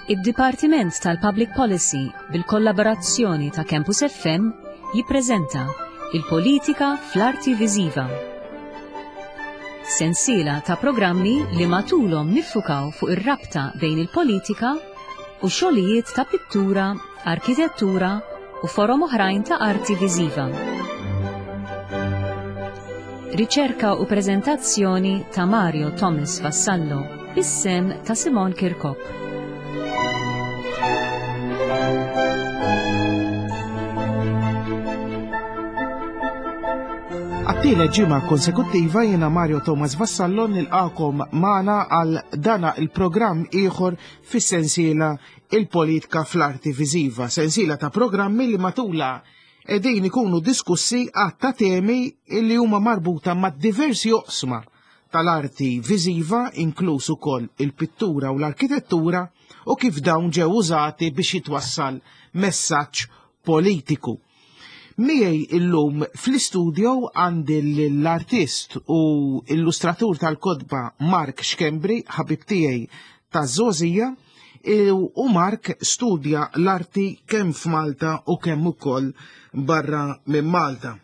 Id-Dipartiment tal-Public Policy bil-kollaborazzjoni ta' Campus FM jippreżenta Il-Politika fl-Arti Viżiva. Sensiela ta' programmi li matulhom niffukaw fuq ir-rabta bejn il-politika u xogħlijiet ta' pittura, arkitettura u forom oħrajn ta' arti viżiva. Riċerka u preżentazzjoni ta' Mario Thomas Vassallo bis-sem ta' Simon Kirkop. Għat-tielet ġimgħa konsekuttiva jiena Mario Thomas Vassallo nilqakom magħna għal dana il-programm ieħor fis-sensiela Il-Politika fl-Arti Viżiva, sensiela ta' programmi li matula qegħdin ikunu diskussi għadd ta' temi li huma marbuta ma' diversi oqsma tal-arti viżiva inkluż ukoll il-pittura u l-arkitettura u kif dawn ġew użati biex jitwassal messaġġ politiku. Miegħi illum fl-istudio għandi l-artist u illustratur tal-kotba Mark Schembri, ħabib tiegħi taż-żgħożija, u Mark studja l-arti kemm f'Malta u kemm ukoll barra minn Malta.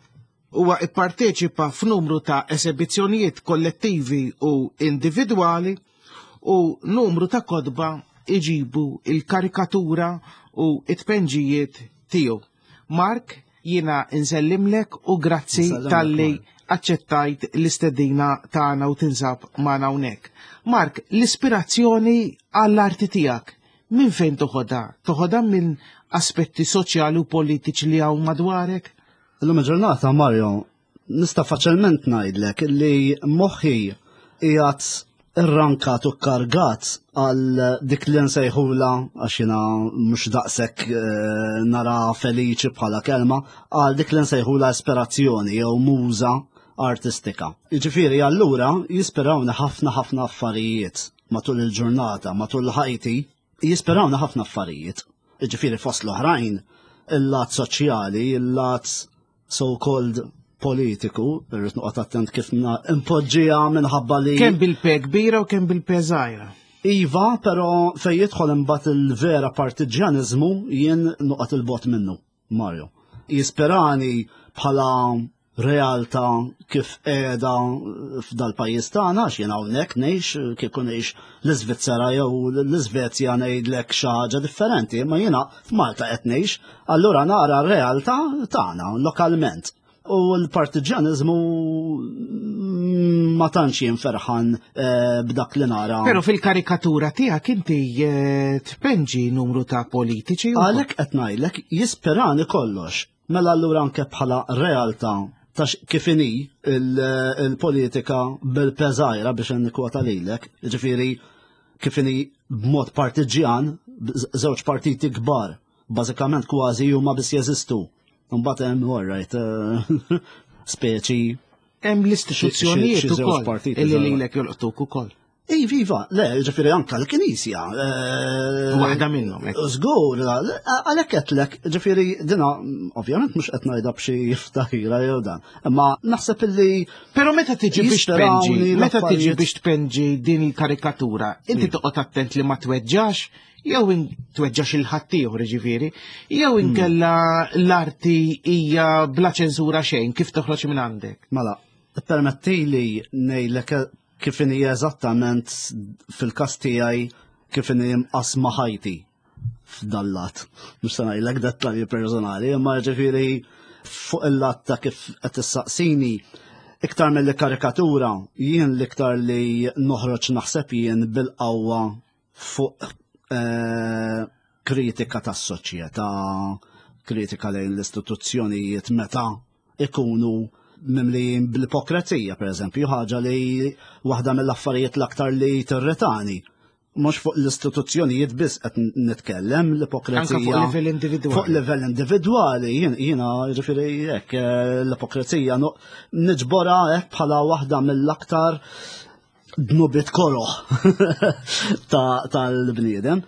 Huwa ipparteċipa f'numru ta' esebizzjonijiet kollettivi u individwali u numru ta' kotba iġibu il-karikatura u it-tpenġijiet tiegħu. Mark, jiena nsellimlek u grazzi talli aċċettajt l-istedina tagħna u tinsab magħna hawnhekk. Mark, l-ispirazzjoni għall-arti tiegħek minn fejn toħodha? Toħodha minn aspetti soċjali u politiċi li hawn madwarek? Illum il-ġurnata, Mario, nista' faċilment ngħidlek li moħħi qiegħed irrankat u kkargat għal dik li nsejħula għax jiena mhux daqshekk eh, nara feliċi bħala kelma għal dik li nsejħula ispirazzjoni jew muża artistika. Jiġifieri allura jispirawni ħafna ħafna affarijiet matul il-ġurnata, matul ħajti, Jisperawna ħafna affarijiet, ġifieri fost l-oħrajn, il-lat soċjali, il-lat so-called politiku, irrid noqgħod attent kif impoġġiha minħabba li. Kemm bil-pe kbira u kemm bil-pe żgħira. Iva, però fejn jidħol imbagħad il-vera partiġjaniżmu jien noqgħod il-bot minnu. Mario. Jisperani bħala realtà kif qiegħda f'dal-pajjiż tagħna għax jien hawnhekk ngħix kieku ngħix l-Iżvizzera jew l-Iżvezja ngħidlek xi ħaġa differenti, imma jiena f'Malta qed ngħix, allura nara r-realtà tagħna lokalment. U l-partiġjaniżmu ma tantx jien ferħan eh, b'dak li nara. Però fil-karikatura tiegħek inti eh, tpenġi numru ta' politiċi. Għalhekk qed ngħidlek jisperani kollox. Mela allura anke bħala realtà ta' kif inhi il-politika bil-peżajra biex nikkwota lilek, ġifieri kif inhi b'mod partiġjan, żewġ partiti kbar, bażikament kważi huma biss jeżistu. Mbagħad hemm all right, eh, speċi. Hemm l-istituzzjonijiet ukoll illi lilek jolqtuk ukoll. Iva, iva, le, ġifieri anka l-Knisja. Eh, Waħda minnhom. Żgur, għalhekk qedlek, ġifieri dina ovvjament mhux qed ngħidha b'xi ftaħira jew dan. Imma naħseb illi. Però meta tiġi biex tpenġi, meta tiġi biex tpenġi din il-karikatura, inti hmm. toqgħod attent li ma tweġġax jew tweġġax il-ħaddieħor ġifieri, jew hmm. inkella l-arti hija bla ċensura xejn kif toħroġ minn għandek. Mela, permetti li ngħidlek kif inhi eżattament fil-każ tiegħi kif inhi mqasma ħajti f'dallat. Mhux se ngħidlek dettalji personali, imma ġifieri fuq il-lat ta' kif qed issaqsini iktar mill karikatura jien l-iktar li noħroġ naħseb jien bil-qawwa fuq eh, kritika tas-soċjetà, kritika lejn l-istituzzjonijiet meta ikunu mimlijin bl-ipokrezija, per eżempju, ħaġa li waħda mill-affarijiet l-aktar li tirritani. Mhux fuq l-istituzzjonijiet biss qed nitkellem l-ipokrezija. Fuq livell individwali. Fuq livell individwali, jiena ġifieri hekk eh, l-ipokrezija niġbora hekk bħala waħda mill-aktar dnubiet koroh tal-bniedem.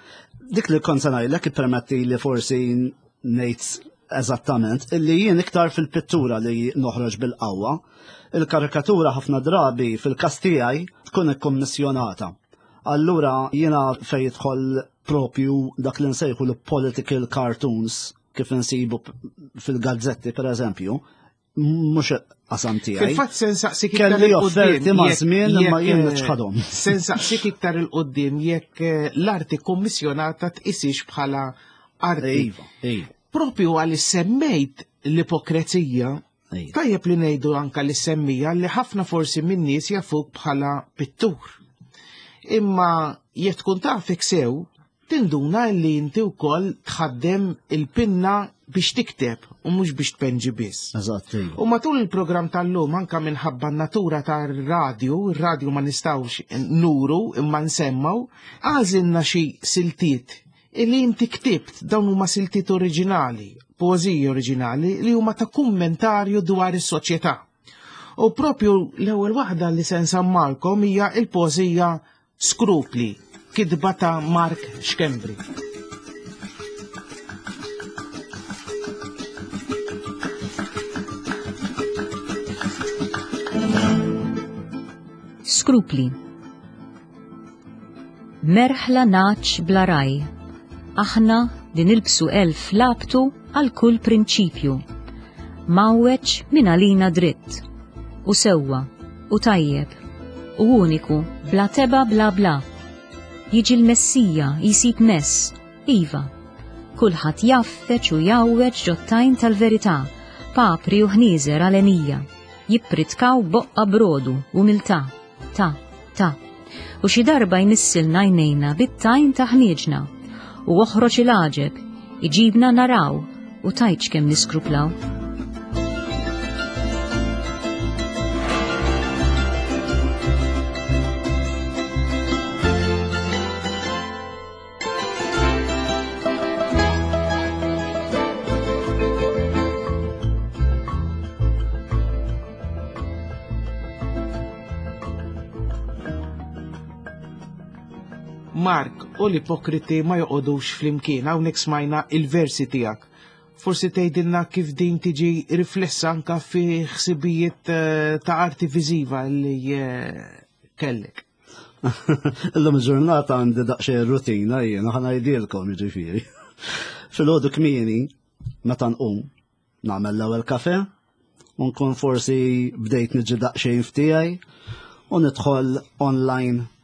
Dik li kont se ngħidlek ippermetti li forsi ngħid eżattament illi jien iktar fil-pittura li noħroġ bil-qawwa. Il-karikatura ħafna drabi fil-każ tiegħi tkun ikkummissjonata. Allura jiena fejn jidħol propju dak li nsejħu l-political cartoons kif insibu fil-gazzetti per eżempju, mhux qasam tiegħi. Fil-fatt se nsaqsik kelli offerti ma' żmien imma jien eh, nċħadhom. Se nsaqsik iktar il qudiem jekk eh, l-arti kommissjonata tqisix bħala arti. Iva, iva. Propju għal semmejt l-ipokrezija, tajjeb li ngħidu anka li semmija li ħafna forsi minn nies jafuk bħala pittur. Imma jekk tkun tafek sew, Tinduna li inti wkoll tħaddem il-pinna biex tikteb u mhux biex tpenġi biss. Eżatt. Iva. U matul il-programm tal-lum anka minħabba n-natura tar-radju, ir-radju ma nistgħux nuru imma nsemmaw, għażilna xi siltiet illi inti ktibt dawn huma siltiet oriġinali, poeżiji oriġinali li huma ta' kummentarju dwar is-soċjetà. U propju l-ewwel waħda li se nsammalkom hija il-poeżija Skrupli, kitba ta' Mark Schembri. Skrupli. Merħla naċ bla raj. Aħna li nilbsu elf labtu għal kull prinċipju. Mawweċ minn għalina dritt. U sewwa, u tajjeb, u uniku, bla teba bla bla. Jiġi l-Messija jsib mess, iva. Kulħadd jaffeċ u jgħawweġ ġot-tajn tal-verità, papri u ħnieżer għalenija, jippritkaw boqqa brodu, umiltà, ta, ta. U xi darba jmissilna għajnejna bit-tajn ta' ħnieġna, u oħroġ il-għaġeb, iġibna naraw u tgħidx kemm niskruplaw. Mark u l-ipokriti ma joqogħdux flimkien hawnhekk smajna il-versi tiegħek. Forsi tgħidilna kif din tiġi riflessa anka fi ħsibijiet eh, ta' arti viżiva li eh, kellek. Illum il-ġurnata għandi daqsxejn rutina jiena ħa ngħidilkom jiġifieri. Filgħodu kmieni meta nqum nagħmel l-ewwel kafe u nkun forsi bdejt niġi daqsxejn f'tiegħi u nidħol online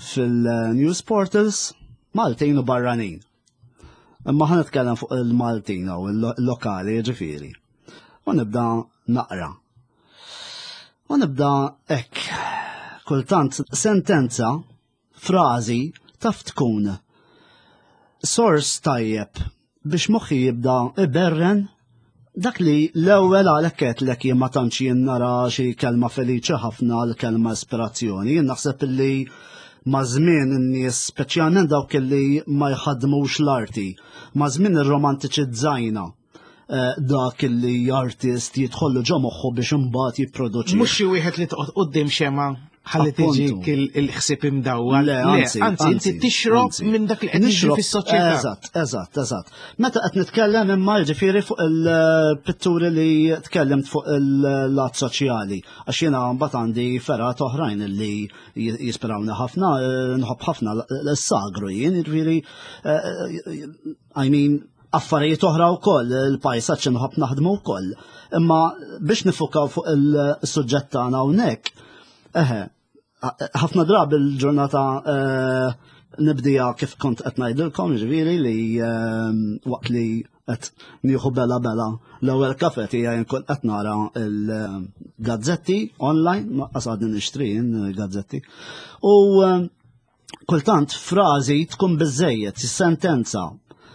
fil-news portals Maltin u barranin. Imma ħa nitkellem fuq il-Maltin u il-lokali ġifieri. U nibda naqra. U nibda hekk. Kultant sentenza, frażi taf tkun sors tajjeb biex moħħi jibda iberren dak li l-ewwel għalhekk qedlek jien ma tantx jien nara xi kelma feliċi ħafna l-kelma ispirazzjoni. Jien naħseb illi ma' żmien in-nies speċjalment dawk illi ma jħaddmux l-arti, ma' żmien irromantiċizzajna eh, dak illi artist jidħollu ġo moħħu biex imbagħad jipproduċi. Mhux xi wieħed li toqgħod quddiem xema ħalli tiġik il-ħsieb imdawwar. Le, anzi, anzi, inti tixrob minn dak li qed jiġri fis-soċjetà. Eżatt, eżatt, eżatt. Meta qed nitkellem imma jiġifieri fuq il-pitturi li tkellimt fuq il-lat soċjali, għax jiena mbagħad għandi fergħat oħrajn li jispirawni ħafna, eh, nħobb ħafna l-sagru jien, jiġifieri eh, I mean, affarijiet oħra wkoll, il-pajsaġġ inħobb naħdmu wkoll. Imma biex nifukaw fuq il-suġġett tagħna hawnhekk, eħe, ħafna drabi l-ġurnata eh, nibdija kif kont qed ngħidilkom, ġifieri li eh, waqt li qed nieħu bela bela l-ewwel kafe tiegħi nkun qed nara l-gazzetti online, ma għadni nixtri gazzetti. U eh, kultant frażi tkun biżejjed, sentenza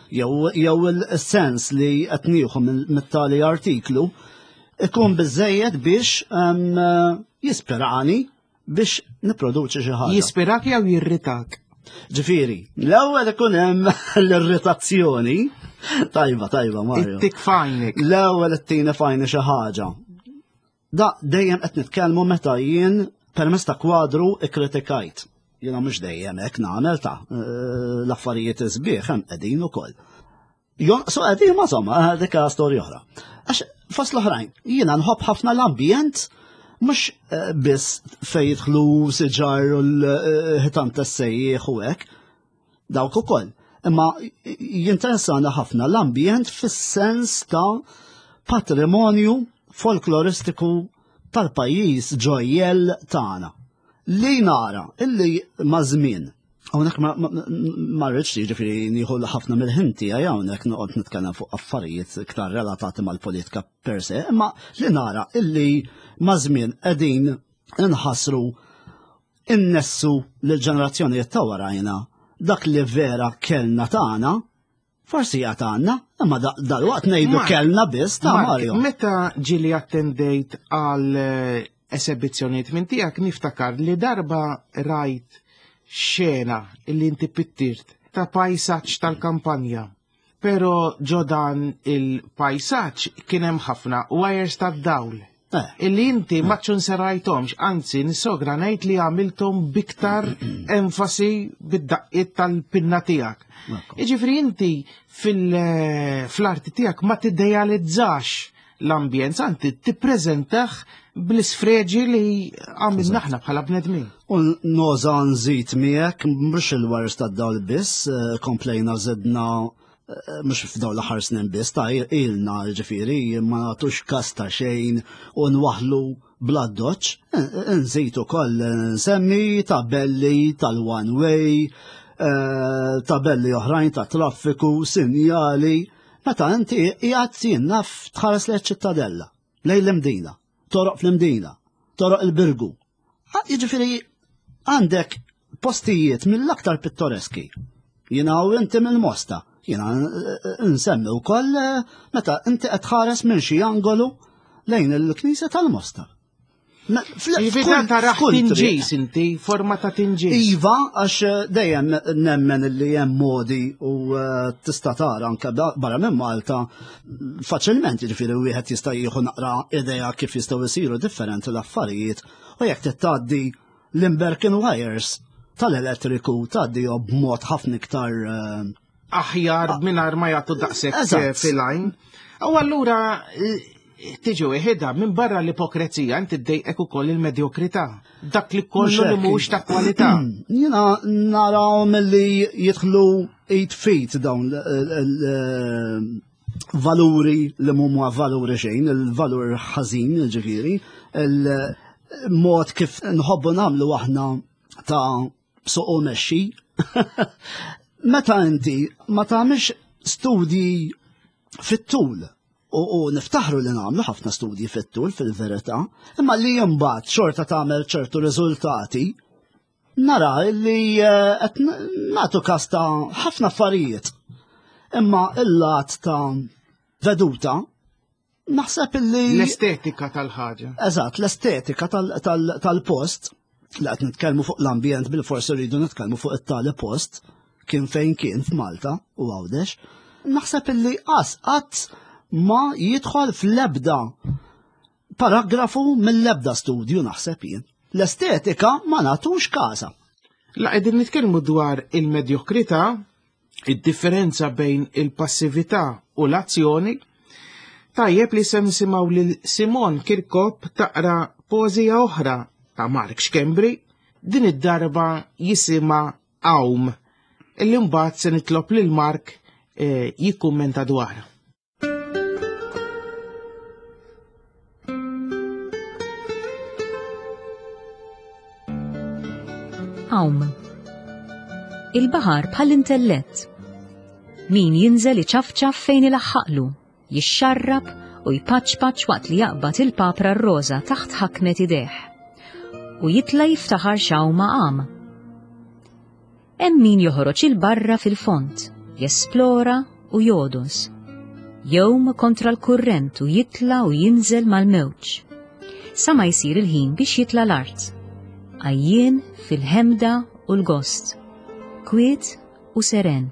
jew jew il-sens li qed nieħu mit-tali artiklu ikun biżejjed biex jispirani biex nipproduċi xi ħaġa. Jispirak jew jirritak? Ġifieri, l-ewwel ikun hemm l-irritazzjoni. Tajba, tajba, Mario. Ittik fajnik. L-ewwel ittina fajni xi ħaġa. Da dejjem qed nitkellmu meta jien permezz ta' kwadru ikkritikajt. Jiena mhux dejjem hekk nagħmel ta' eh, l-affarijiet isbieħ hemm qegħdin ukoll. Jonqsu qegħdin ma somma eh, dik storja oħra. Għax fost l-oħrajn, jiena nħobb ħafna l-ambjent mhux eh, biss fejn jidħlu siġar u l-ħitan tas-sejjieħ u hekk, dawk ukoll. Imma jinteressana ħafna l-ambjent fis-sens ta' patrimonju folkloristiku tal-pajjiż ġojjel tagħna. Li nara illi ma' żmien Hawnhekk ma rridx jiġifieri nieħu ħafna mill-ħin tiegħi hawnhekk noqgħod nitkellem fuq affarijiet iktar relatati mal-politika per se, imma li nara illi ma' żmien qegħdin inħassru innessu lill-ġenerazzjonijiet ta' warajna dak li vera kellna tagħna Forsi għad għandna, imma dal-waqt ngħidu kellna biss ta' Mario. Meta ġili attendejt għal eh, esebizzjonijiet minn tiegħek niftakar li darba rajt xena li inti pittirt ta' pajsaġġ tal-kampanja. Pero ġo dan il-pajsaġġ kien hemm ħafna wires tad-dawl. Eh. Illi inti ma ċunserajtomx, anzi nisogra ngħid li għamiltom biktar enfasi bid-daqqiet tal-pinna tiegħek. Jiġifieri inti eh, fl-arti tiegħek ma tiddejalizzax l-ambjent, anti tippreżentah bl-isfreġi li għamilna aħna bħala bnedmin. U noża nżid miegħek mhux il-wires tad-dawl biss, eh, komplejna żidna Eh, mux f'daw l-aħħar snin biss, ta' ilna ġifiri, ma nagħtux kas ta' xejn u nwaħlu bla doċ, eh, eh, nżid ukoll nsemmi tabelli tal-one way, tabelli oħrajn ta' traffiku, sinjali, meta inti qiegħed jien naf tħares lejn ċittadella, lejn l-Imdina, toroq fl-Imdina, toroq il-Birgu, Jiġifieri għandek postijiet mill-aktar pittoreski. Jiena u inti mill-Mosta. Jiena eh, eh, nsemmi wkoll eh, meta inti qed tħares minn xi angolu lejn il-Knisja tal-Mosta. Iva taraħ tinġis inti, forma ta' tinġis. Iva, għax dejjem nemmen li hemm modi u tista' tara anke barra minn Malta faċilment jiġifieri wieħed jista' jieħu naqra idea kif jistgħu jsiru differenti l-affarijiet u jekk tgħaddi l-Imberkin wires tal-elettriku tgħaddihom b'mod ħafna iktar eh, aħjar ah. mingħajr ma jagħtu daqshekk eh, fil-għajn. U allura eh, tiġi weħida minn barra l-ipokrezija inti ddejqek ukoll il-medjokrità. Dak li kollu li mhux ta' kwalità. Jiena narawhom li jidħlu eight feet dawn valuri li mhuma valuri xejn, il-valur ħażin ġifieri, il-mod kif nħobbu nagħmlu aħna ta' suq u mexxi. Meta inti ma tagħmilx studji fit-tul u, u niftaħru li nagħmlu ħafna studji fit-tul fil-verità, imma li imbagħad xorta tagħmel ċertu riżultati, nara li eh, qed nagħtu każ ta' ħafna affarijiet. Imma il-lat ta' veduta naħseb illi. L-estetika tal-ħaġa. Eżatt, l-estetika tal-post li qed nitkellmu fuq l-ambjent bil-forsi rridu nitkellmu fuq it-tali post kien fejn kien f'Malta u Għawdex, naħseb illi qas qatt ma jidħol fl-ebda paragrafu mill-ebda studju naħseb jien. L-estetika ma nagħtux każa. La qegħdin nitkellmu dwar il-medjokrità id-differenza bejn il-passività u l-azzjoni, tajjeb li se nisimgħu lil Simon Kirkop taqra poeżija oħra ta' Mark Schembri, din id-darba jisimha Għawm, illi mbagħad se nitlob lil Mark eh, jikkummenta dwarha. Għawm. Il-baħar bħall-intellett. Min jinżel iċafċaf fejn ilaħħaqlu, jixxarrab u jpaċpaċ waqt li jaqbad il-papra r-roża taħt ħakmet idejh. U jitla jiftaħar xawma għam. Hemm min joħroġ 'il barra fil-fond, jesplora u jogħdos. Jgħum kontra l-kurrent u jitla' u jinżel mal-mewġ. Sa ma jsir il-ħin biex jitla' l-art. Għajjien fil-ħemda u l-gost. Kwiet u seren.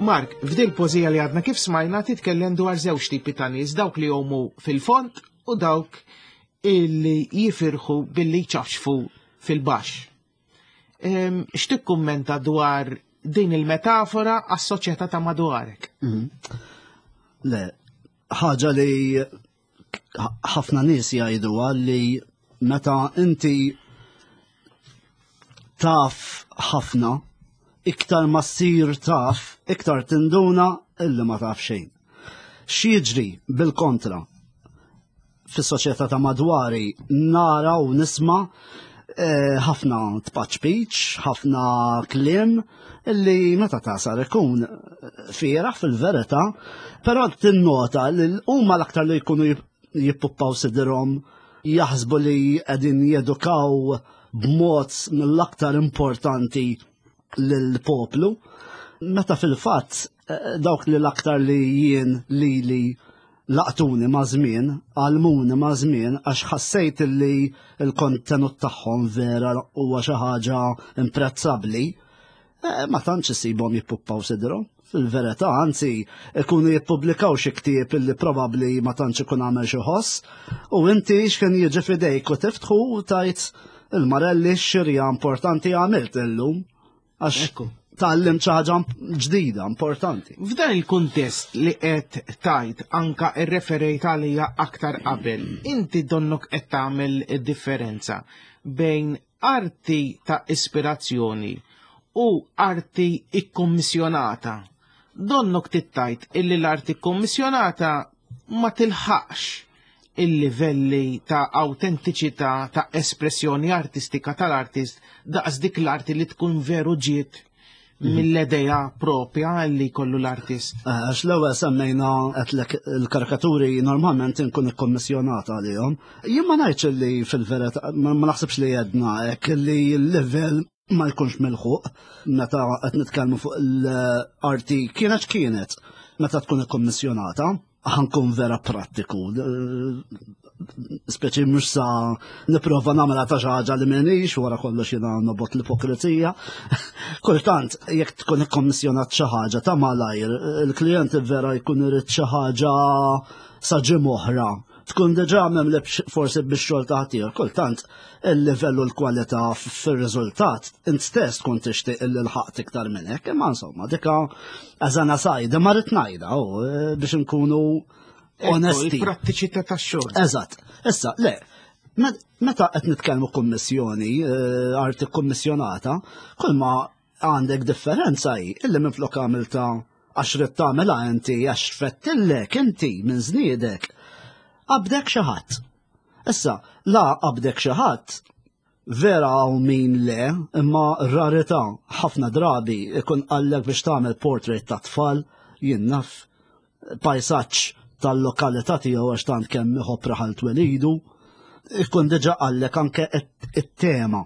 Mark, f'dil pożija li għadna kif smajna titkellem dwar żewġ tipi ta' nies, dawk li jomu fil-fond u dawk illi jifirħu billi ċafxfu fil-baxx. X'tikkummenta dwar din il-metafora għas-soċjetà ta' madwarek? Mhm. Le, ħaġa li Ħafna nies jgħiduha li meta inti taf ħafna, iktar ma ssir taf, iktar tinduna illi ma taf xejn. X'jiġri bil-kontra fis-soċjetà ta' madwari nara u nisma' eh, ħafna tpaċpiċ, ħafna kliem illi meta tasar ikun fieraħ fil-verità, però tinnota li huma l-aktar li jkunu jippuppaw sidirhom jaħsbu li qegħdin jedukaw b'mod mill-aktar importanti lill-poplu, meta fil-fatt eh, dawk li l-aktar li jien li li laqtuni ma' żmien, għalmuni ma' żmien għax ħassejt li l-kontenut tagħhom vera huwa xi ħaġa imprezzabbli, eh, ma tantx isibhom jippuppaw sidrhom. Fil-verità, anzi, ikunu jippubblikaw xi ktieb illi probabbli ma tantx ikun għamel xi ħoss, u inti x'kien jiġi f'idejk u tiftħu u tajt il-marelli xirja importanti għamilt illum. Għax tgħallim xi ħaġa ġdida importanti. F'dan il-kuntest li qed tajt anka rreferejt għalija aktar qabel, inti donnok qed tagħmel differenza bejn arti ta' ispirazzjoni u arti ikkommissjonata. Donnok tittajt illi l-arti kkommissjonata ma tilħaqx il-livelli ta' awtentiċità ta' espressjoni artistika tal-artist daqs dik l-arti li tkun veru ġiet mhm. mill-edeja propja li kollu l-artist. Eh, għax l-ewwel semmejna qedlek il-karikaturi normalment inkun ikkommissjonata għalihom. Jien ma ngħidx li fil-verità ma naħsibx li jedna hekk li l-livell ma jkunx milħuq meta qed nitkellmu fuq l-arti kienet kienet meta tkun ikkommissjonata ħankun vera prattiku. Speċi mhux sa nipprova nagħmilha ta' xi ħaġa li m'għenix wara kollox jiena nobot l-ipokrizija. Kultant jekk tkun ikkommissjonat xi ħaġa ta' malajr, il-klijent vera jkun irid xi ħaġa sa ġimgħa oħra tkun diġà memleb forsi bix-xogħol ta' ħaddieħor. Kultant il-livell u l-kwalità fir-riżultat int stess tkun tixtieq illi lħaqt iktar minn hekk, imma insomma dika eżana sajda ma rrid ngħidha eh, biex inkunu onesti. Il-prattiċità tax-xogħol. Eżatt. Issa, le, meta qed nitkellmu kummissjoni, eh, arti kummissjonata, kull ma għandek differenza hi illi minflok għamilta għax rid tagħmilha inti għax fettillek inti minn żniedek. Qabdek xi ħadd. Issa, la qabdek xi ħadd, vera hawn min le, imma rarità ħafna drabi ikun qallek biex tagħmel portrait ta' tfal, jien naf pajsaġġ tal-lokalità tiegħu għax tant kemm iħobb raħal twelidu, ikun diġà qallek anke it-tema.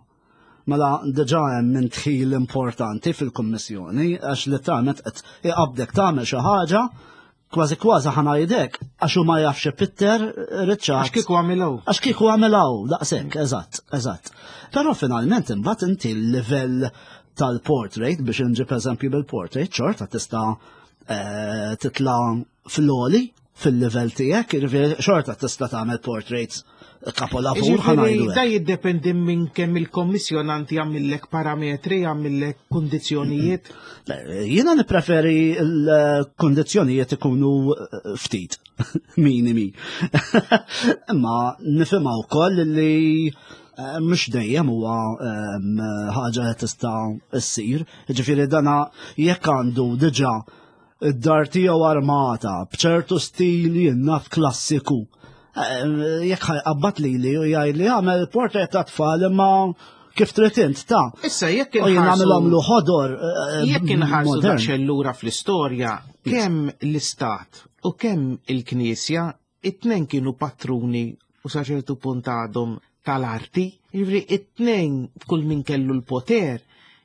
Mela diġà hemm minn tħil importanti fil-Kummissjoni għax li tagħmel qed iqabdek tagħmel xi ħaġa kważi kważi ħanajdek għax hu ma jafx ipitter riċċat. Għax kieku għamilhaw. Għax kieku għamilhaw, daqshekk, eżatt, eżatt. Però finalment imbagħad inti l-livell tal-portrait biex inġib eżempju bil-portrait xorta tista' eh, titla' fl-oli fil-level tiegħek, jiġifieri xorta tista' tagħmel portraits kapolavur ħanajdu. Da jiddependi minn kemm il-kommissjonant jagħmillek parametri, jagħmillek kundizzjonijiet. Jiena nippreferi l-kundizzjonijiet ikunu eh, ftit minimi. Imma nifhimha wkoll li eh, mhux dejjem huwa ehm, ħaġa li tista' ssir. Ġifieri dana jekk għandu diġà id-dar tiegħu armata b'ċertu stil jien naf klassiku. Eh, jekk ħajqabbat lili u jgħid li għamel portrait ta' tfal imma kif trid int ta' Issa jekk inħarsu nagħmilhom ħodor. Eh, jekk inħarsu daqsxejn lura fl-istorja, kemm l-istat u kemm il-Knisja it-tnejn kienu patruni u sa ċertu punt għadhom tal-arti, jiġifieri it-tnejn kull min kellu l-poter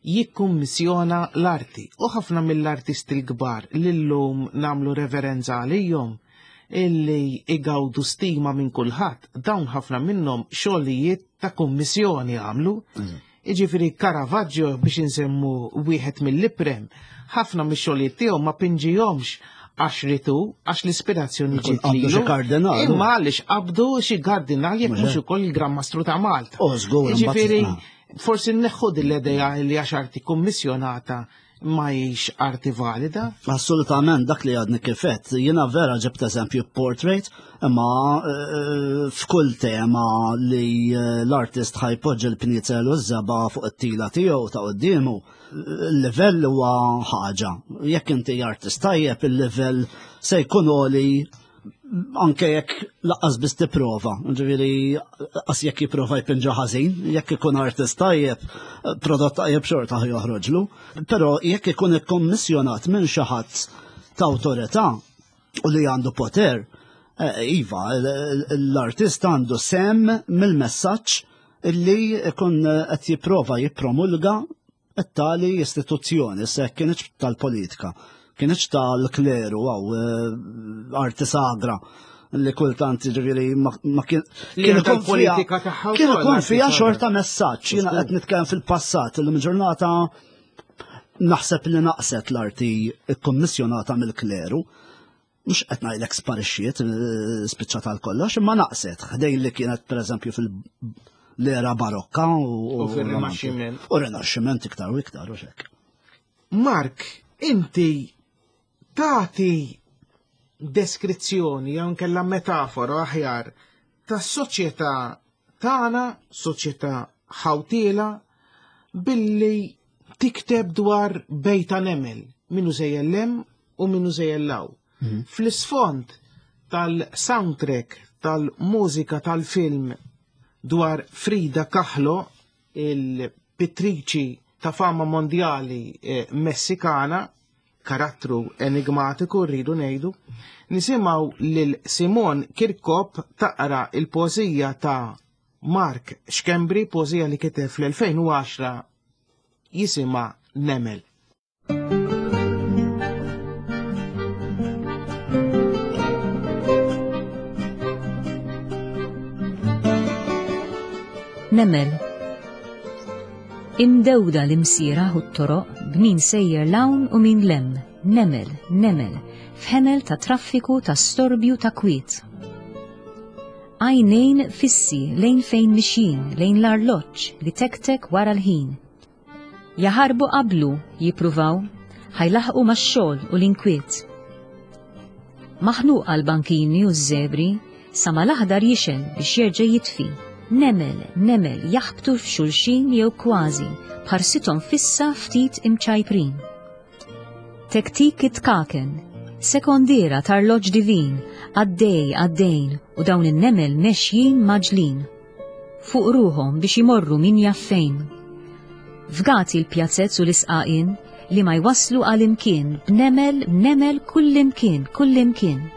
jikkummissjona l-arti. U ħafna mill-artisti l-kbar li llum nagħmlu reverenza għalihom illi igawdu stima minn kulħadd, dawn ħafna minnhom xogħlijiet ta' kummissjoni għamlu. Mm. Jiġifieri Caravaggio biex insemmu wieħed mill-iprem, ħafna mix-xogħlijiet tiegħu ma pinġihomx għax ritu, għax l-ispirazzjoni ġiet lilu. Imma għaliex qabdu xi kardinal jekk mhux ukoll il-Gran Mastru ta' Malta. Oh, Jiġifieri forsi nneħħu din l-idea li għax arti kummissjonata. ma hix arti valida? Assolutament dak li għadni kifet. Jiena vera ġibt eżempju portrait, imma eh, f'kull tema li eh, l-artist ħajpoġġi l-pnizel u ż-żeba fuq it-tila tiegħu ta' quddiemu, il-livell huwa ħaġa. Jekk inti artist tajjeb, il-livell se jkun għoli anke jekk laqqas biss tipprova, ġifieri qas jekk jipprova jpinġa ħażin, jekk ikun artist tajjeb, prodott tajjeb xorta joħroġlu, però jekk ikun ikkommissjonat minn xi ħadd ta' awtorità u li għandu poter, eh, iva, l-artist għandu sem mill-messaġġ illi ikun qed jipprova jippromulga it-tali istituzzjoni, se kienx tal-politika, kienx tal-kleru għaw eh, arti sagra li kultant ġifieri ma kien kien ikun politika tagħha kien ikun fiha xorta messaġġ jiena qed nitkellem fil-passat illum ġurnata naħseb li naqset l-arti kkommissjonata mill-kleru. Mhux qed ngħidlek sparixxiet, eh, spiċċat għal kollox, imma naqset ħdejn li kienet pereżempju fil-era barokka u fil-Rinaxximent. U Rinaxximent iktar u iktar u xek. Mark, inti tagħti deskrizzjoni jew nkella metafora aħjar tas-soċjetà tagħna, soċjetà ħawtiela, billi tikteb dwar bejta nemel, minnu sejjer lem u minnu sejjer law. Mhm. Fl-isfond tal-soundtrack tal-mużika tal-film dwar Frida Kahlo, il-pittriċi ta' fama mondjali eh, Messikana, karattru enigmatiku rridu ngħidu, nisimgħu lil Simon Kirkop taqra il-poeżija ta' Mark Schembri, poeżija li kiteb fl-2010 jisimha Nemel. Nemel. Imdewda l-imsira u t-toroq b'min sejjer l-hawn u min lem, nemel, nemel, f'ħemel ta' traffiku ta' storbju ta' kwiet. Għajnejn fissi lejn fejn mixjin, lejn l-arloġġ li tektek wara l-ħin. Jaħarbu qablu, jippruvaw, ħa jlaħħqu max-xogħol u l-inkwiet. Maħnuqa l-bankini u ż-żebri, sa ma l-aħdar jixgħel biex jerġa' jitfi. Nemel, nemel jaħbtu f'xulxin jew kważi, b'ħarsithom fissa ftit imċajprin. Tektik it-tkaken, sekondiera t'arloġġ divin, għaddej, għaddejn u dawn in-nemel mexjin mgħaġġlin. Fuq ruħhom biex imorru min jaf fejn. Fgati l-pjazez u l-isqaqien li ma jwasslu għal imkien b'nemel, nemel kullimkien, kullimkien.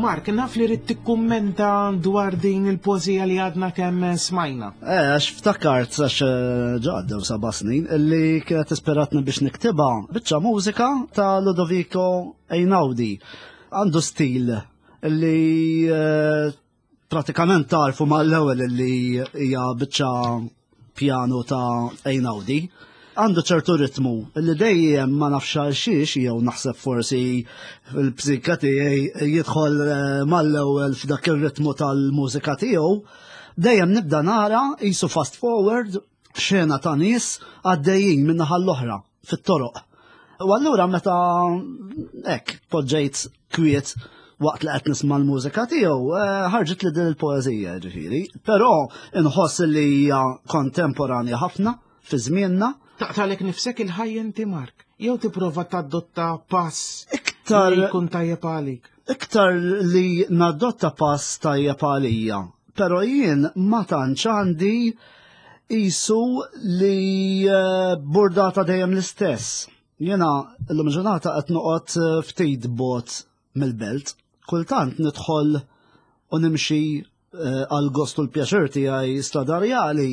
Mark, naf li rrid tikkummenta dwar din il-pożija li għadna kemm smajna. Eh, għax ftakart għax eh, ġaddew seba' snin illi kienet ispiratni biex niktibha biċċa mużika ta' Ludovico Einaudi. Għandu stil li eh, pratikament tarfu mal-ewwel li hija biċċa pjanu ta' Einaudi. Għandu ċertu ritmu li dejjem ma nafx għal xiex jew naħseb forsi l-psika tiegħi jidħol eh, mal-ewwel f'dak ir-ritmu tal-mużika tiegħu. Dejjem nibda nara jisu fast forward xena ta' nies għaddejjin minn naħa l-oħra fit-toroq. U allura meta hekk poġġejt kwiet waqt li qed nisma' l-mużika tiegħu, eh, ħarġet li din il-poeżija ġifieri. Però inħoss li hija kontemporanja ħafna fi żmienna. Taqtalek nifsek il-ħajja inti Mark, jew tipprova tadotta pass iktar li jkun tajjeb għalik. Iktar li nadotta pass tajjeb għalija, però jien ma tantx għandi isu li eh, burdata dejjem l-istess. Jiena l-lum ġurnata qed noqgħod eh, ftit bot mill-belt. Kultant nidħol u nimxi eh, għal gost u l-pjaċir tiegħi stradarjali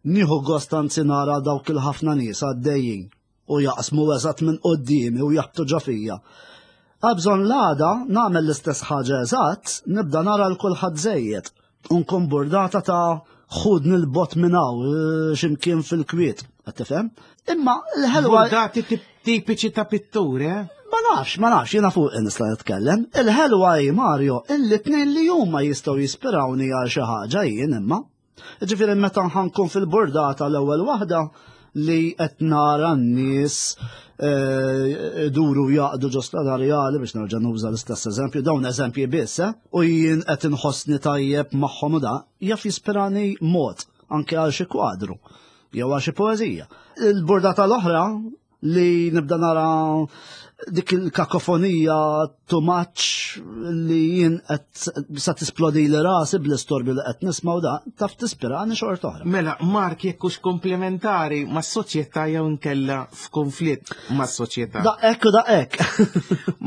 nieħu gost anzi nara dawk il-ħafna nies għaddejjin u jaqsmu eżatt minn quddiemi u jaħbtu ġo fija. Għabżon l-għada nagħmel l-istess ħaġa eżatt, nibda nara l kulħadd żejjed. Unkun burdata ta' ħudni l-bot minn hawn eh, x'imkien fil-kwiet, qed tifhem? Imma l-ħelwa. Burdati tipiċi ta' pittur, eh? Ma nafx, ma nafx, jiena fuq nista' nitkellem. Il-ħelwa hi Mario, illi tnejn li huma jistgħu jispirawni għal xi ħaġa jien imma. Ġifieri meta ħankun fil-burdata l-ewwel waħda li qed nara n-nies eh, duru jaqdu ġo strada reali biex nerġa' nuża l-istess eżempju, dawn eżempji biss, eh, u jien qed inħossni tajjeb magħhom u da, jaf jispirani mod anke għal xi kwadru jew għal xi poeżija. Il-burdata l-oħra li nibda nara dik il-kakofonija too much li jien qed sa tisplodi li rasi bl-istorbju li qed nisma' u da taf tispirani xorta oħra. Mela, Mark jekk hux komplementari mas-soċjetà jew inkella f'konflitt mas-soċjetà. Da hekk u da hekk.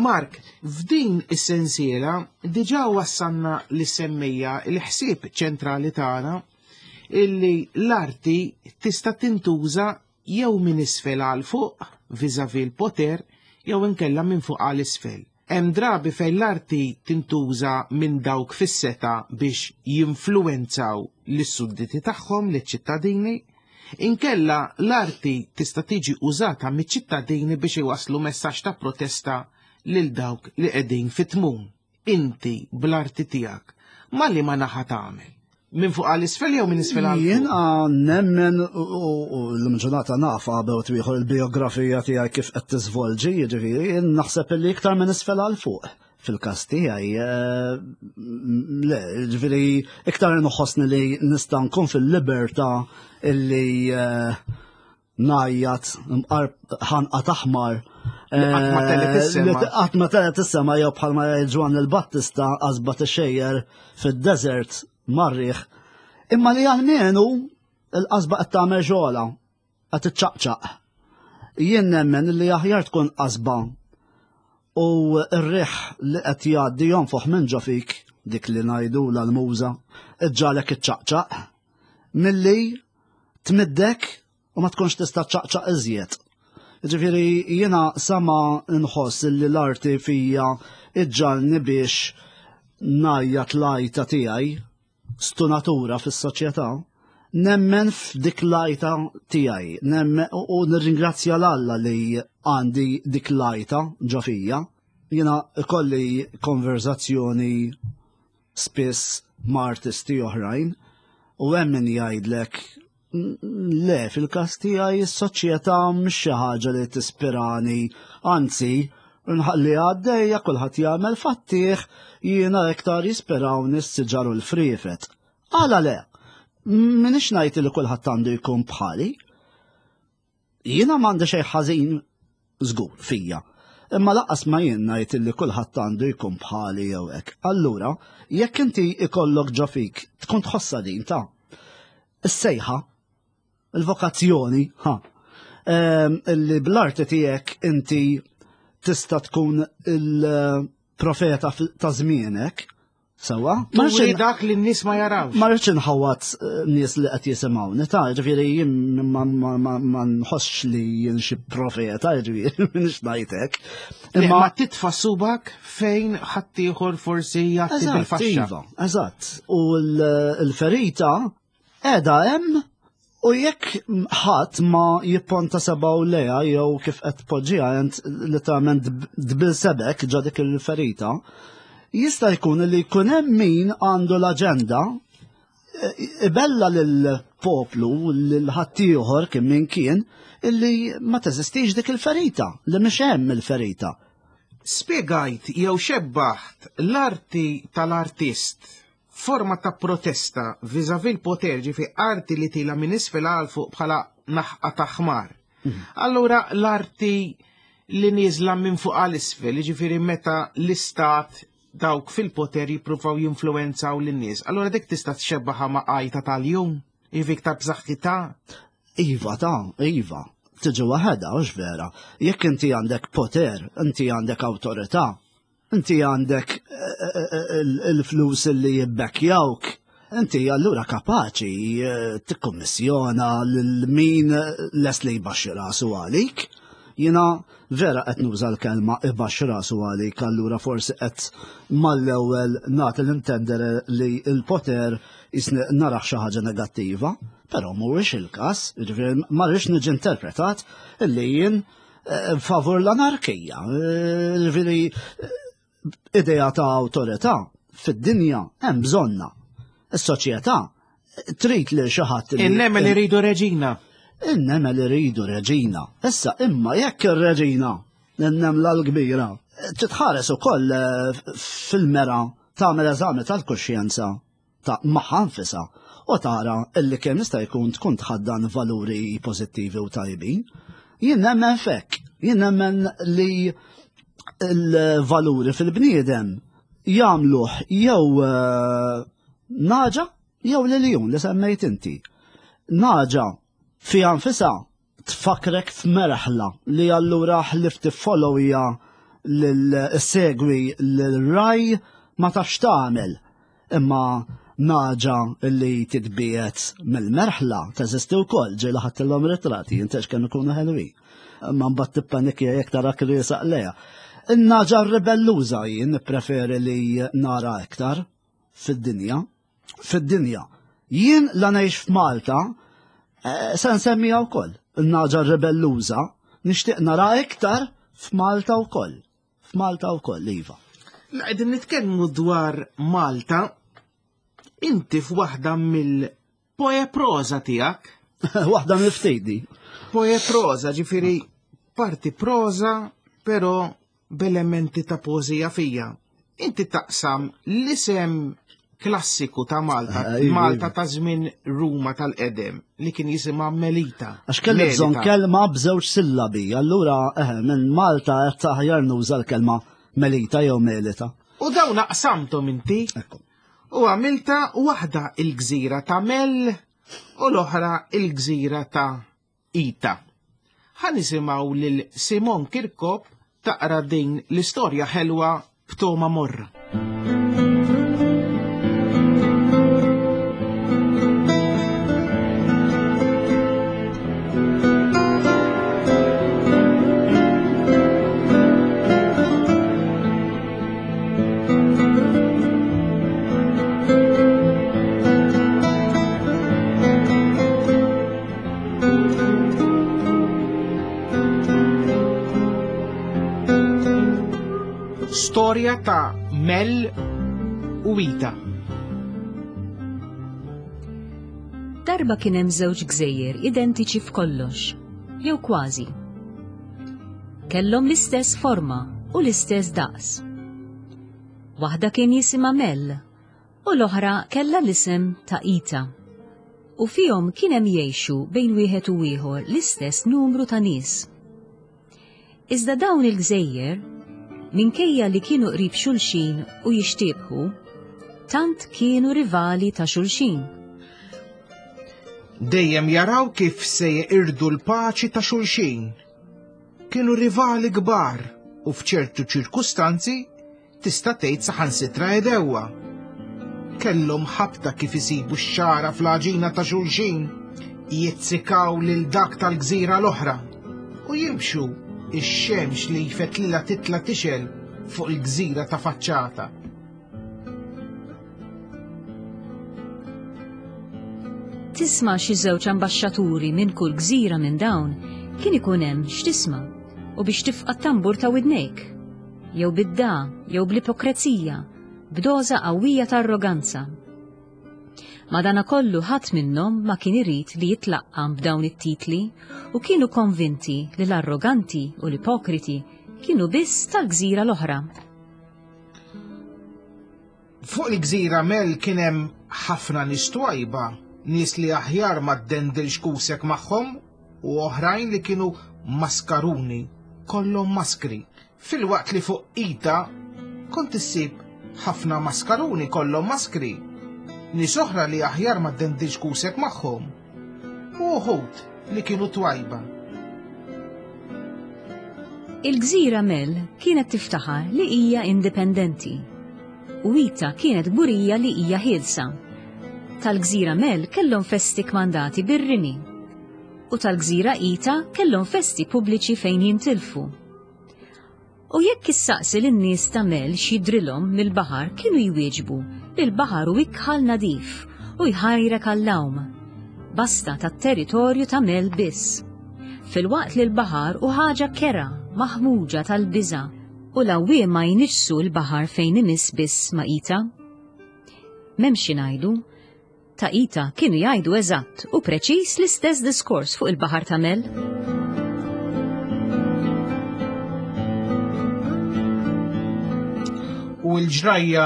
Mark, f'din is-sensiela diġà wassalna li semmija l-ħsieb ċentrali tagħna illi l-arti tista' tintuża jew minn isfel għal fuq, vis-à-vis l-poter, jew inkella minn fuq għal isfel. Hemm drabi fejn l-arti tintuża minn dawk fis-setgħa biex jinfluwenzaw lis-sudditi tagħhom, liċ-ċittadini, inkella l-arti tista' tiġi użata miċ-ċittadini biex iwasslu messaġġ ta' protesta lil dawk li qegħdin fit-tmun. Inti bl-arti tiegħek ma' liema naħa tagħmel? Minn fuq għal isfel jew minn isfel għal Jien nemmen u l-ġurnata naf għabew twieħor il-biografija tiegħi kif qed tiżvolġi, jiġifieri jien naħseb li iktar minn isfel għal fuq fil-każ tiegħi. Eh, le, jiġifieri iktar inħossni li nista' nkun fil-libertà illi eh, ngħajjat mqar ħanqa taħmar. Qatt ma telgħet eh, is-sema. Qatt ma telgħet is-sema jew bħalma jgħid Ġwann il-Battista qasba tixejjer fid-desert marriħ. Imma li għalmenu il-qasba qed tagħmel xogħla qed tiċċaqċaq. Jien nemmen li aħjar tkun qasba u r-riħ li qed jgħaddi jonfoħ minn ġo fik dik li ngħidu l-muża iġġalek iċċaqċaq milli tmiddek u ma tkunx tista' ċaqċaq iżjed. Ġifieri jiena sama nħoss li l-arti fija iġġalni biex ngħajjat l-għajta tiegħi stunatura fis-soċjetà, nemmen f'dik l-għajta tiegħi, nemmen u nirringrazzja l-Alla li għandi dik l-għajta ġo fija. Jiena ikolli konverzazzjoni spiss ma' artisti oħrajn u hemm min jgħidlek le fil-każ tiegħi s-soċjetà mhix xi ħaġa li tispirani, anzi nħalli għaddejja kulħadd jagħmel fattih jiena iktar jispirawni s-siġar u l-friefet. Għala le, minix ngħid li kulħadd għandu jkun bħali. Jiena m'għandi xejn ħażin żgur fija. Imma laqqas ma jien ngħid illi kulħadd għandu jkun bħali jew hekk. Allura, jekk inti ikollok ġo fik tkun tħossha din ta' is-sejħa, il-vokazzjoni, ha, ehm, illi bl-arti tiegħek inti tista' tkun il-profeta ta' żmienek, Sewa? Ma rridx dak li n-nies ma jarawx. Ma rridx inħawat eh, nies li qed jisimgħuni, ta' ġifieri jien ma nħossx li jien xi profeta, ġifieri minix ngħidlek. Imma ma titfa' subak fejn ħaddieħor forsi jagħti bil-faxxa. Iva, eżatt. U l-ferita Qiegħda hemm u jekk ħadd ma jipponta sebgħu lejha jew kif qed tpoġġiha int literalment dbil sebek ġo dik il-ferita, jista' jkun li jkun hemm min għandu l-aġenda ibella lill-poplu lil ħaddieħor kien min kien illi ma teżistix dik il-ferita, li mhix hemm il-ferita. Spjegajt jew xebbaħt l-arti tal-artist Forma ta' protesta vis-à-vis l-poter, ġifi arti li tila minn isfel għal fuq bħala naħqa ta' ħmar. Mhm. Allura l-arti li nieżla minn fuq għal isfel, ġifieri meta l-istat dawk fil-poter jippruvaw jinfluwenzaw lin-nies. Allura dik tista' txebbaħa ma' għajta tal-jum, jiġifieri iktar b'saħħitha. Iva ta' iva. Tiġi waħedha, hux vera. Jekk inti għandek poter, inti għandek awtorità, Inti għandek eh, eh, eh, il-flus li jibbekkjawk, inti allura kapaċi tikkummissjona lil min les li jbaxxi rasu għalik. Jiena vera qed nuża l-kelma ibaxx rasu għalik allura forsi qed mal-ewwel nagħti l-intendere li l-poter jisni naraħ xi ħaġa negattiva, però mhuwiex il-każ, jiġifieri ma rridx niġi interpretat illi jien eh, favur l-anarkija. Eh, jiġifieri eh, idea ta' awtorità fid-dinja hemm bżonna. Is-soċjetà trid lil xi ħadd. Innemel iridu reġina. Innemel iridu reġina. Issa imma jekk ir-reġina n-nemla l-kbira titħares ukoll eh, fil-mera tagħmel eżami tal-kuxjenza ta' magħha nfisha u tara illi kemm jista' jkun tkun tħaddan valuri pożittivi u tajbin. Jien nemmen fek, jien nemmen li l-valuri fil-bniedem jagħmluh jew eh, naġa jew l-iljun li semmejt inti. Naġa fiha nfisha tfakkrek f'merħla li allura ħlief tiffollowja lil-segwi l-raj ma tafx tagħmel. Imma naġa li titbiet mill-merħla teżisti wkoll ġieli ħadtilhom ritratti jintex kemm ikunu ħelwin. Imma mbagħad tippanikja jekk tarak riesaq lejha. In-naġa ribelluża jien nippreferi li nara iktar fid-dinja. Fid-dinja. Jien la ngħix f'Malta eh, se nsemmiha wkoll. In-naġa ribelluża nixtieq nara iktar f'Malta wkoll. F'Malta wkoll, iva. La qegħdin nitkellmu dwar Malta, inti f'waħda mill-poe proza tiegħek. Waħda mill-ftejdi. Poe proza, ġifieri parti proza, però b'elementi ta' poeżija fija. Inti taqsam l-isem klassiku ta' Malta, eh, Malta ta' żmien Ruma tal-qedem li kien jisimha Melita. Għax kelli bżonn kelma b'żewġ sillabi, allura eh, minn Malta qed taħjar nuża l-kelma Melita jew Melita. U dawn aqsamthom inti. U għamilta waħda il-gżira ta' Mel u l-oħra il-gżira ta' Ita. Ħa nisimgħu lil Simon Kirkop taqra din l-istorja ħelwa b'togħma morra. Storja ta' Mel u Ita. Darba kien hemm żewġ gżejjer identiċi f'kollox, jew kważi. Kellhom l-istess forma u l-istess daqs. Waħda kien jisimha Mel u l-oħra kellha l-isem ta' Ita. U fihom kien hemm jgħixu bejn wieħed u ieħor l-istess numru ta' nies. Iżda dawn il-gżejjer, minkejja li kienu qrib xulxin u jixtiebħu, tant kienu rivali ta' xulxin. Dejjem jaraw kif se jeqirdu l-paċi ta' xulxin. Kienu rivali kbar u f'ċertu ċirkustanzi Tista' tgħid saħansitra għedewwa. Kellhom ħabta kif isibu x-xagħra fl-għaġina ta' xulxin, jizzikaw lil dak tal-gżira l-oħra u jimxu ix-xemx li jfettlilha titla' tixgħel fuq il-gżira ta' faċċata. Tisma' xi żewġ ambaxxaturi minn kull gżira minn dawn kien ikun hemm x'tisma' u biex tifqa' t-tambur ta' widnejk. Jew bid-dagħa jew bl-ipokrezija, b'doża qawwija ta' arroganza. Madanakollu ħadd minnhom ma kien irid li jitlaqqam b'dawn it-titli u kienu konvinti li l-arroganti u l-ipokriti kienu biss tal-gżira l-oħra. Fuq il-gżira Mel kien hemm ħafna nies twajba, nies li aħjar ma ddendilx kusek magħhom u oħrajn li kienu maskaruni, kollhom maskri. Filwaqt li fuq Ita kont issib ħafna maskaruni kollhom maskri, nies oħra li aħjar ma ddendilx kusek magħhom u uħud li kienu twajba. Il-gżira Mel kienet tiftaħar li hija indipendenti u Ita kienet kburija li hija ħielsa. Tal-gżira Mel kellhom festi kmandati bir-rimi. U tal-gżira Ita kellhom festi pubbliċi fejn jintilfu. U jekk issaqsi lin-nies ta' Mel x'jidhrilhom mill-baħar kienu jwieġbu li l-baħar hu ikħal nadif u jħajrek għall-għawm. Basta tat-territorju ta' Mel biss. Filwaqt li l-baħar hu ħaġa kerha, maħmuġa tal-biża' u l-għawwiema jniġġsu l-baħar fejn imiss biss ma' Ita. M'hemmx xi ngħidu, Ta' Ita kienu jgħidu eżatt u preċiż l-istess diskors fuq il-baħar ta' Mel. U l-ġrajja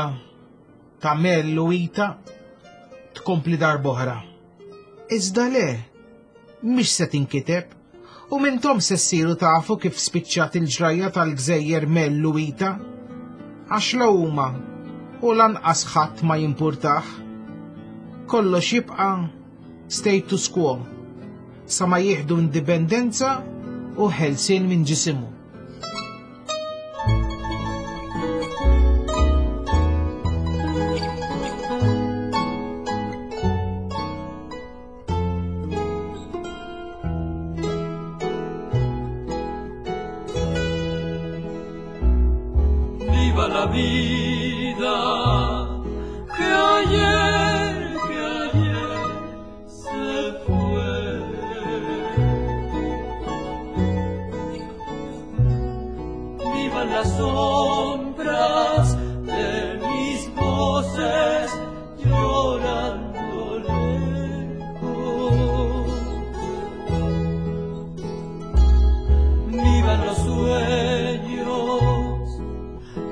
ta' Mel u Ita tkompli darb'oħra. Iżda le, mhix se tinkiteb u m'intom se ssiru tafu kif spiċċat il-ġrajja tal-gżejjer Mel u Ita. Għax la huma u lanqas ħadd ma jimpurtah. Kollox jibqa' status quo sa ma jieħdu indipendenza u ħelsien minn ġisimhu. Viva la vida que ayer, que ayer se fue. Viva las sombras de mis voces llorando lejos. Vivan los sueños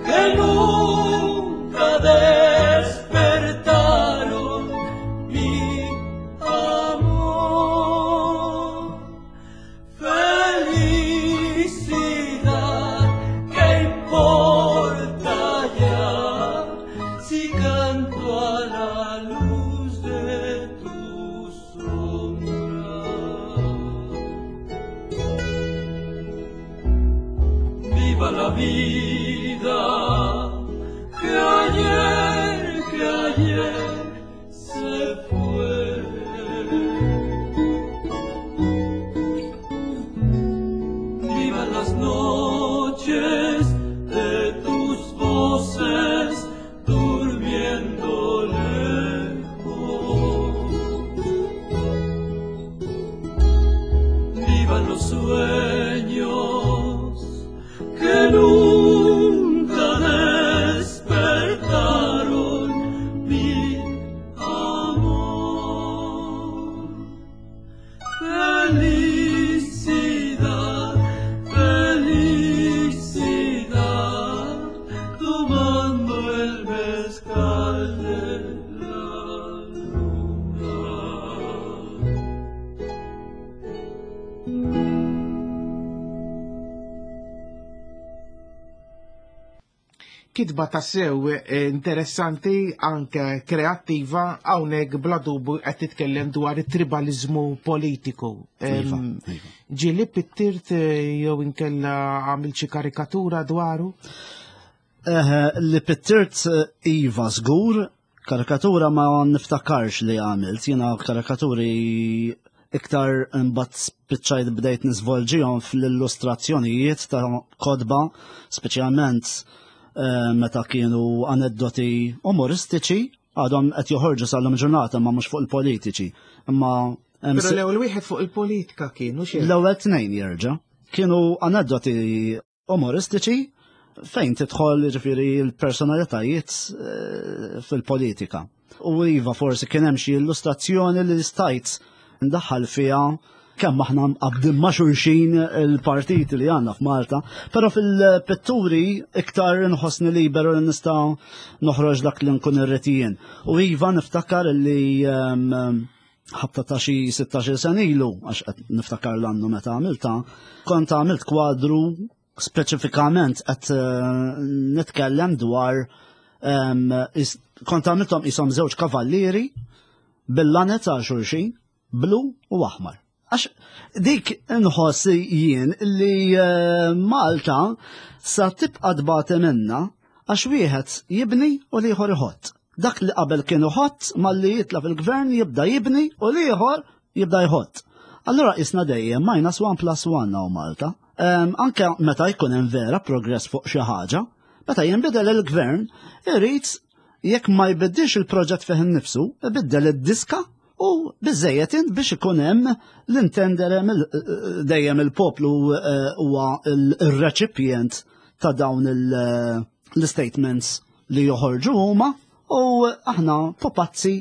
que nunca despertaron mi amor. Felicidad, ¿qué importa ya si canto a la luz de tu sombra? Viva la vida que ayer, que ayer se fue. Vivan las noches de tus voces durmiendo lejos. Vivan los sueños que nunca despertaron mi amor. Felicidad, felicidad, tomando el mezcal de la luna. Kitba tassew eh, interessanti, anke kreattiva, hawnhekk bla dubu qed titkellem dwar it-tribalizmu politiku. Iva, iva. Ġieli pittirt eh, jew inkella għamil xi karikatura dwaru? Eh, li pittirt eh, Iva żgur, karikatura ma niftakarx li għamilt, jiena karikaturi iktar imbagħad spiċċajt bdejt niżvolġihom fl-illustrazzjonijiet ta' kotba, speċjalment eh, meta kienu aneddoti umoristiċi, għadhom qed joħorġu sal-lum ġurnata ma mhux fuq il-politiċi. Imma hemm Però l-ewwel wieħed fuq il-politika kien, u xejn. L-ewwel tnejn jerġa' kienu aneddoti umoristiċi fejn tidħol ġifieri l-personalitajiet eh, fil-politika. U iva forsi kien hemm xi illustrazzjoni li stajt ndaħħal fiha kemm aħna mqabbdin ma' xulxin il-partiti li għandna f'Malta, però fil-pitturi iktar inħossni liberu li nista' noħroġ dak li nkun irrid jien. U iva niftakar li ehm, ħabta ta' xi 16 sena ilu, għax qed niftakar l-annu meta għamilta, kont għamilt kwadru speċifikament qed eh, nitkellem dwar ehm, kont għamilthom qishom żewġ kavallieri bil-lanet għal xulxin, blu u aħmar. Għax dik inħoss jien li eh, Malta sa tibqa' tbati minna għax wieħed jibni u l-ieħor iħott. Dak li qabel kien iħott malli jitla fil-gvern jibda jibni u l-ieħor jibda jħott. Allura isna dejjem minus 1 plus 1 hawn Malta. Anke meta jkun hemm vera progress fuq xi ħaġa, meta jinbidel il-gvern, irid jekk ma jbiddilx il-proġett fih innifsu, ibiddel id-diska u biżejjed int biex ikun hemm l-intendere dejjem il-poplu eh, huwa il-reċipjent ta' dawn eh, l-statements li joħorġu huma u aħna popazzi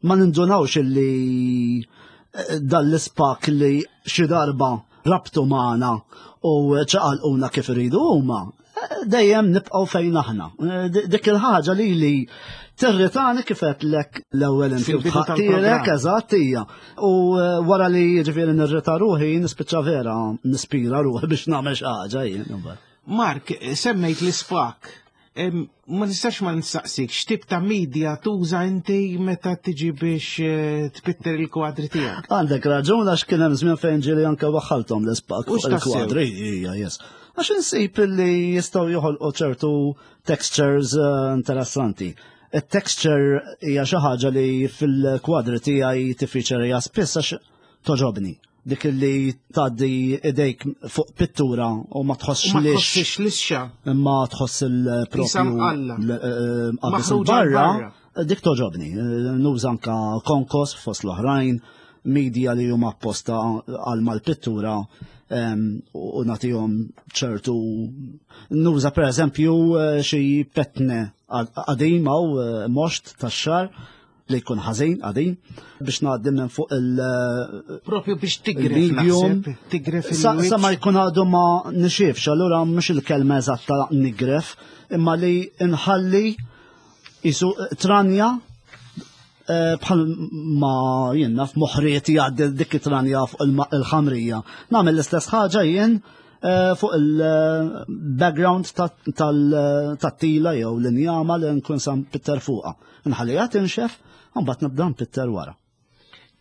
ma nindunawx illi eh, dan l-ispak li xi darba rabtu magħna u ċaqalquna kif iridu huma, eh, dejjem nibqgħu fejn aħna. Eh, dik il-ħaġa li li tirritani kif lek l-ewwel inti tħattirek eżatt hija. U wara li jiġifieri nirrita ruħi nispiċċa vera nispira ruħi biex nagħmel xi ħaġa jien. Mark, semmejt l-ispak. Ma nistax ma nistaqsik, x'tip ta' media tuża inti meta tiġi biex eh, tpitter il-kwadri tiegħek? Għandek raġun għax kien hemm żmien fejn ġieli anke waħħalthom l-ispak fuq il-kwadri, hija yes. Għax insib li jistgħu joħolqu ċertu textures eh, interessanti. Il-texture hija xi ħaġa li fil-kwadri tiegħi tiffiċerija spiss għax toġobni dik li tgħaddi idejk fuq pittura u ma tħossx li. Ma tħossx lixxa. Imma tħoss il-propju. Eh, barra, dik toġobni. Eh, nuża anka konkos fost l-oħrajn, media li huma apposta għal mal-pittura u nagħtihom ċertu nuża pereżempju eh, xi petne qadim u moxt tax-xar li jkun ħażin qadim biex ngħaddi minn fuq il- Propju biex tigref tigref Sa ma jkun għadu ma nixifx, allura mhux il-kelma eżatta nigref, imma li nħalli jisu tranja eh, bħal ma jenna f'moħriet jgħaddi dik it-tranja fuq il-ħamrija. Nagħmel l-istess ħaġa jien eh, fuq il-background tat-tila jew l-injama li nkun sam pitter fuqha. Nħalliha tinxef, u mbagħad nibda npitter wara.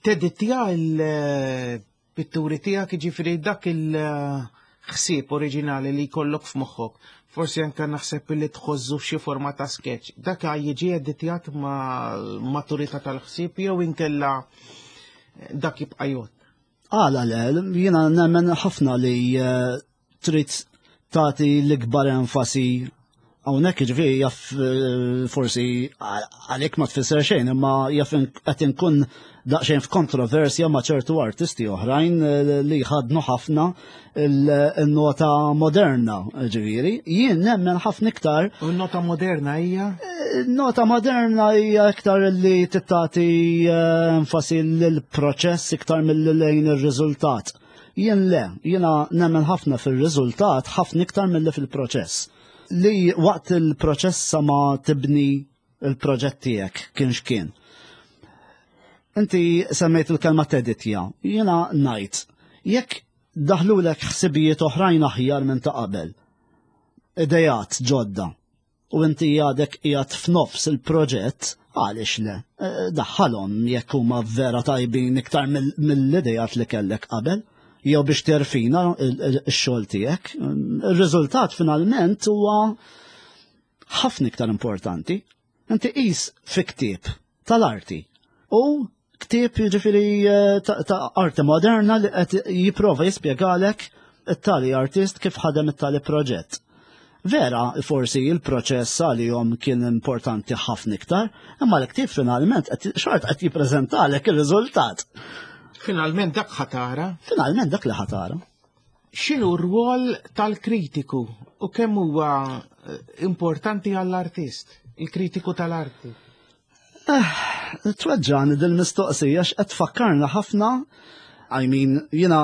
Tedittja il-pitturi tiegħek jiġifieri dak il-ħsieb oriġinali li jkollok f'moħħok. Forsi anke naħseb li tħożżu f'xi forma ta' sketch. Dak jiġi editjat ma' maturità tal-ħsieb jew inkella dak jibqa' jgħod. Għala le, jiena nemmen ħafna li eh, trid tagħti l-ikbar enfasi hawnhekk jiġifieri jaf eh, forsi għalik ma tfisser xejn, imma jaf qed inkun daqsxejn f'kontroversja ma' ċertu artisti oħrajn eh, li jħadnu ħafna il-nota moderna, ġifieri. Jien nemmen ħafna iktar. U n-nota moderna hija? Eh, nota moderna hija iktar li tittati enfasi lill-proċess iktar mill-lejn ir-riżultat. Jien le, jiena nemmen ħafna fir-riżultat ħafna iktar milli fil-proċess. Li waqt il-proċess sa ma tibni il-proġett tiegħek kien x'kien. Inti semmejt il-kelma teditja, jiena ngħid, jekk daħlulek ħsibijiet oħrajn aħjar minn ta' qabel, idejat ġodda, u inti għadek qiegħed f'nofs il-proġett, għaliex le? Eh, daħħalhom jekk huma vera tajbin iktar mill-idejat li kellek qabel, jew biex terfina x-xogħol tiegħek. Ir-riżultat finalment huwa ħafna iktar importanti. Inti qis fi ktieb tal-arti u ktieb jiġifieri eh, ta' arti moderna li qed jipprova jispjegalek it-tali artist kif ħadem it-tali proġett. Vera, forsi il-proċess għalihom kien importanti ħafna iktar, imma l-ktieb finalment xort qed jippreżentalek ir-riżultat. Finalment dak ħatara. Finalment dak li ħatara. X'inhu r-rwol tal-kritiku u kemm huwa eh, importanti għall-artist, il-kritiku tal-arti? Eh, tweġġani dil-mistoqsija x'qed tfakkarna ħafna, I mean, jiena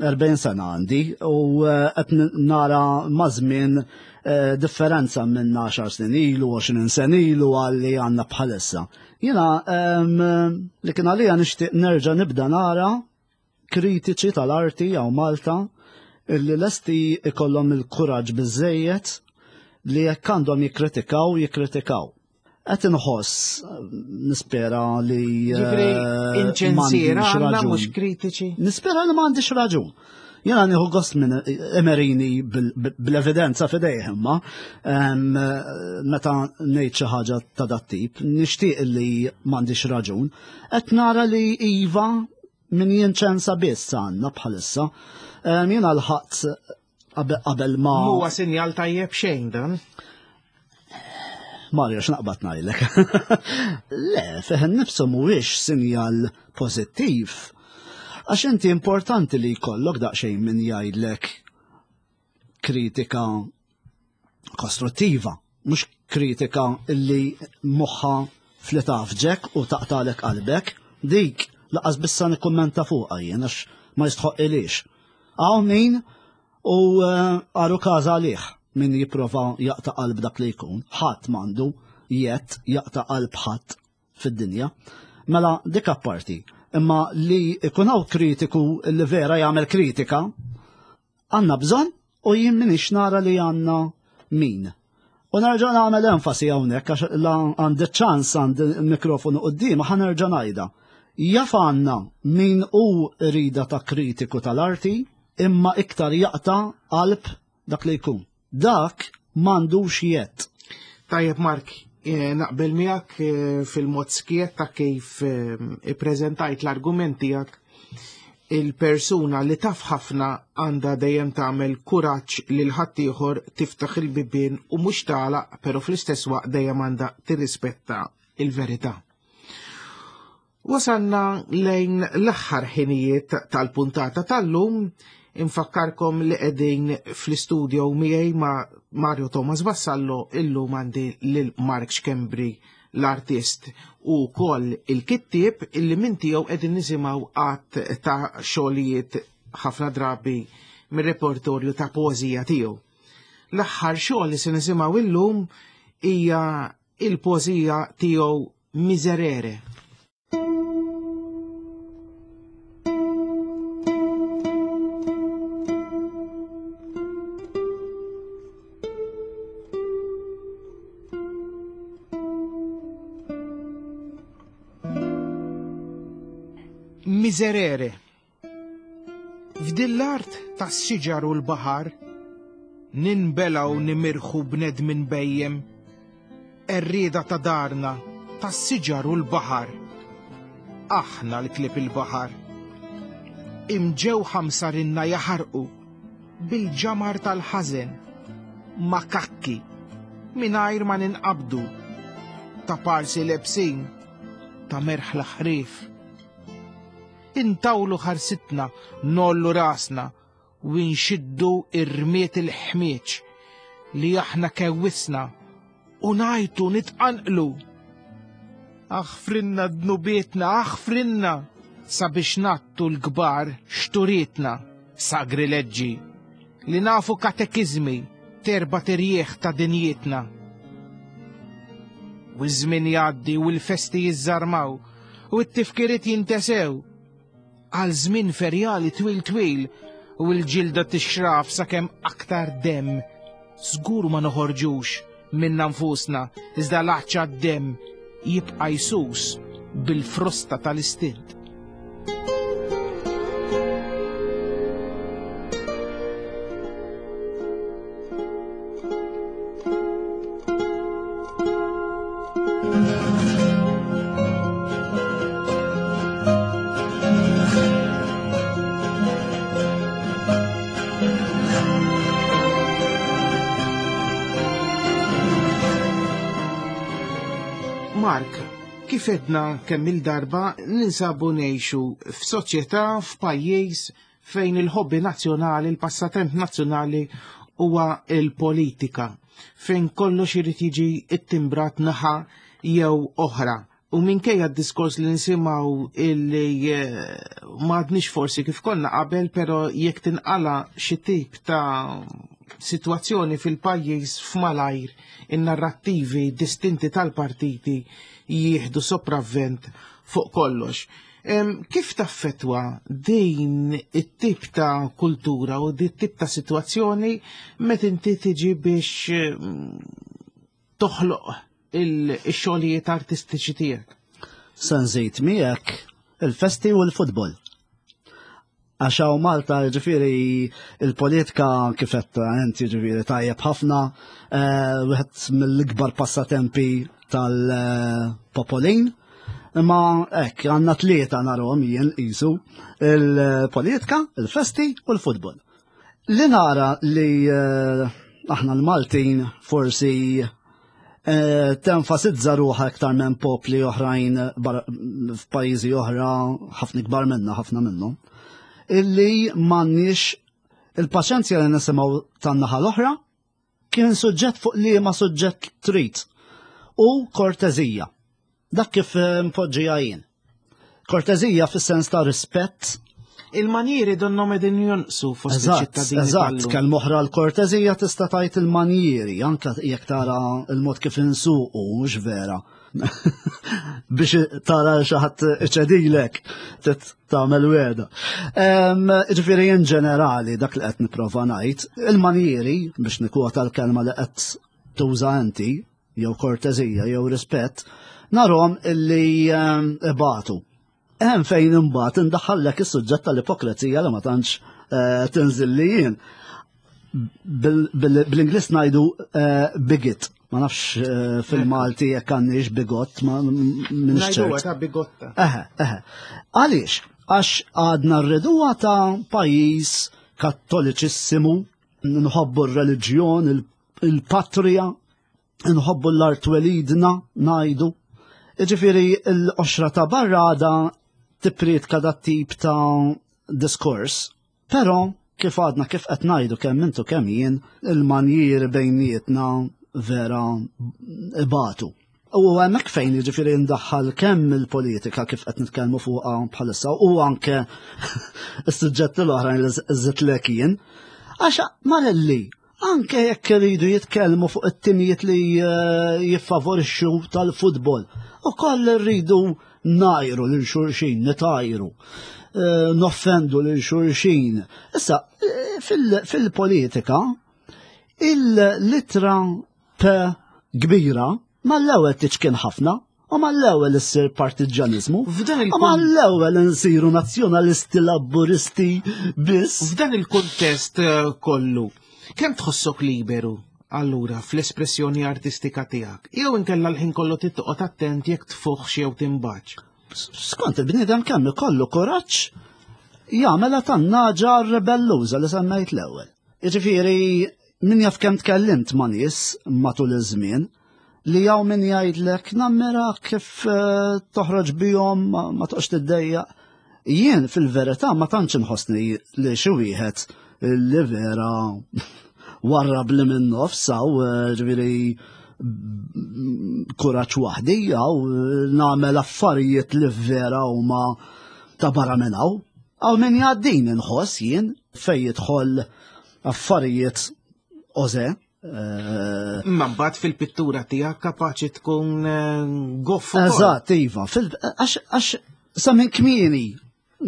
40 sena għandi u eh, qed nara mażmien eh, differenza minn 10 snin ilu, 20 sen ilu għalli għandna bħalissa. Jiena ehm, li kien għalija nixtieq nerġa' nibda nara kritiċi tal-arti hawn Malta illi lesti ikollhom il-kuraġġ biżejjed li jekk għandhom jikkritikaw, jikkritikaw. Qed inħoss nispera li Ġifri eh, inċensiera għandna mhux kritiċi. Nispera li m'għandix raġun. Jena nieħu gost minn emerini bl-evidenza fidejh imma meta ngħid xi ħaġa ta' dat tip, nixtieq li m'għandix raġun. Qed nara li iva. Min jinċensa biss għandna bħalissa. Jiena l-ħadd qabel ma. Huwa sinjal tajjeb xejn dan. Mario, x'naqbad ngħidlek. Le, fih nifsu mhuwiex sinjal pożittiv. Għax inti importanti li jkollok daqsxejn min jgħidlek kritika kostruttiva, mhux kritika illi moħħa fli tafġek u taqtalek qalbek, dik laqas bissa nikkummenta fuqha jien għax ma jistħoq ilix. Hawn min u eh, għaru każ għalih min jipprova jaqta' qalb dak li jkun, ħadd m'għandu jett jaqta' qalb ħadd fid-dinja. Mela dik apparti, imma li ikun hawn kritiku li vera jagħmel kritika, għandna bżonn u jien minix nara li għandna min. U nerġa' nagħmel enfasi hawnhekk għax la għandi ċans għandi mikrofonu quddiem ħa nerġa' ngħidha. Jaf għandna min hu rida ta' kritiku tal-arti imma iktar jaqta' qalb dak li jkun. Dak m'għandux jett. Tajjeb Mark, eh, naqbel miegħek eh, fil-mod skiet ta' kif eh, ippreżentajt l-argument tiegħek il-persuna li taf ħafna għandha dejjem tagħmel kuraġġ lil ħaddieħor tiftaħ il-bibien u mhux tagħlaq, però fl-istess waqt dejjem għandha tirrispetta il-verità. Wasalna lejn l-aħħar ħinijiet tal-puntata tal-lum, infakkarkom li qegħdin fl-istudio miegħi ma' Mario Thomas Vassallo illum għandi lil Mark Schembri l-artist u wkoll il-kittieb illi minn tiegħu qegħdin nisimgħu għadd ta' xogħlijiet ħafna drabi mir-repertorju ta' poeżija tiegħu. L-aħħar xogħol li se nisimgħu illum hija il-poeżija tiegħu Miserere. Miserere. F'din l-art tas-siġar u l-baħar, ninbelgħu nimirħu bnedmin bejjem, għerrieda ta' darna, tas-siġar u l-baħar. Aħna l-klieb il-baħar. Imġewħa msarinna jaħarqu bil-ġamar tal-ħażen, makakki, mingħajr ma ninqabdu, ta' parsi lebsin, ta' merħla ħrief. Intawlu ħarsitna, nollu rasna u nxiddu ir-rmiet il-ħmieġ li aħna kewwisna u ngħajtu nitqanqlu. Aħfrinna dnubietna, aħfrinna sabiex nattu l-kbar xturietna, sagrileġġi, li nafu katekiżmi terba terjieħ ta' dinjietna. U ż-żmien jgħaddi u l-festi jiżżarmaw u t-tifkiriet jintesew għal żmien ferjali twil twil u l-ġilda tixraf sakemm aktar demm. Żgur ma noħorġux minna nfusna iżda l-għatx għad-demm jibqa' jsus bil-frosta tal-istint. Mark, kif edna kemm il-darba ninsabu ngħixu f'soċjetà f'pajjiż fejn il-ħobbi nazzjonali, il-passatemp nazzjonali huwa il-politika, fejn kollox irid jiġi ittimbrat naħa jew oħra. U minkejja d-diskors li nisimgħu illi eh, m'għadniex forsi kif konna qabel, però jekk tinqala xi tip ta' sitwazzjoni fil-pajjiż f'malajr in-narrattivi distinti tal-partiti jieħdu sopravvent fuq kollox. Kif taffetwa din it-tip ta' kultura u din it-tip ta' sitwazzjoni meta inti tiġi biex toħloq il-xogħlijiet artistiċi tiegħek? Se nżid miegħek il-festi u l-futbol. Għax hawn Malta ġifieri il-politika kif qed inti ġifieri tajjeb ħafna, eh, wieħed mill-ikbar passatempi tal-popolin. Imma hekk għandna tlieta narhom jien qisu il-politika, il-festi u l-futbol. Li nara li eh, aħna l-Maltin forsi eh, tenfasizza ruħa iktar minn popli oħrajn f'pajjiżi oħra ħafna ikbar minna ħafna minnhom, illi m'għandniex il-paċenzja li nisimgħu tan-naħa l-oħra Kien suġġett fuq liema suġġett trid u kortezija. Dak kif eh, mpoġġija jien. Kortezija fis-sens ta' rispett. Il-manjieri donnom edin jonqsu fost iċ-ċittadini. Eżatt, kelma oħra l-kortezija tista' tajt il-manjieri, anke jekk tara il-mod kif insuqu, mhux vera. Biex tara xi ħadd iċedilek, tagħmel weda. Ġifieri in ġenerali dak li qed nipprova ngħid, il-manjieri biex nikwota l-kelma li qed tuża inti, jew kortezija jew rispett, narhom illi ibatu. Hemm fejn imbagħad indaħħallek is-suġġett tal-ipokrezija li ma tantx eh, tinżil li jien. Bl-Ingliż ngħidu eh, bigot. Ma nafx eh, fil-Malti jekk għandniex bigot, ma minix ċert. ta' bigotta. Eħe, eħe. Għaliex? Għax għadna rriduha ta' pajjiż kattoliċissimu, nħobbu r-reliġjon, il-patrija, nħobbu l-art twelidna, ngħidu. Ġifieri l-qoxra ta' barra għada tippriedka dat tip ta' diskors, però kif għadna kif qed ngħidu kemm intu kemm jien, il-manjieri bejnietna vera ibatu. U hemmhekk fejn jiġifieri ndaħħal kemm il-politika kif qed nitkellmu fuqha bħalissa u anke s-suġġetti l-oħrajn li żidtlek jien. Għax Marelli, anke jekk iridu jitkellmu fuq it-timijiet li eh, jiffavorixxu tal-futbol, ukoll irridu ngħajru lil xulxin, nitajru, eh, noffendu lil xulxin. Issa, eh, fil-politika, il-litra P kbira mal-ewwel tiċkien ħafna u mal-ewwel issir partiġġaniżmu. F'dan il U mal-ewwel insiru nazzjonalisti laburisti biss. F'dan il-kuntest eh, kollu, kemm tħossok liberu allura fl-espressjoni artistika tiegħek? Jew inkella l-ħin kollu tittoqgħod attent jekk tfuħx jew timbaċ? Skont il-bniedem kemm ikollu kuraġġ jagħmela tan-naġa rebelluża li semmejt l-ewwel. Jiġifieri Min jaf kemm tkellimt ma' nies matul iż-żmien li hawn min jgħidlek nammira kif eh, toħroġ bihom ma toqgħodx tiddejjaq. Jien fil-verità ma tantx inħossni li xi wieħed li vera warrab li minn nofs hawn eh, ġifieri kuraġġ waħdi jew eh, nagħmel affarijiet li vera huma ta' barra minn hawn. Hawn min jgħaddin inħoss jien fejn jidħol affarijiet oze. Eh, Imma mbagħad fil-pittura tiegħek kapaċi tkun eh, goff. Eżatt, iva, għax sa minn kmieni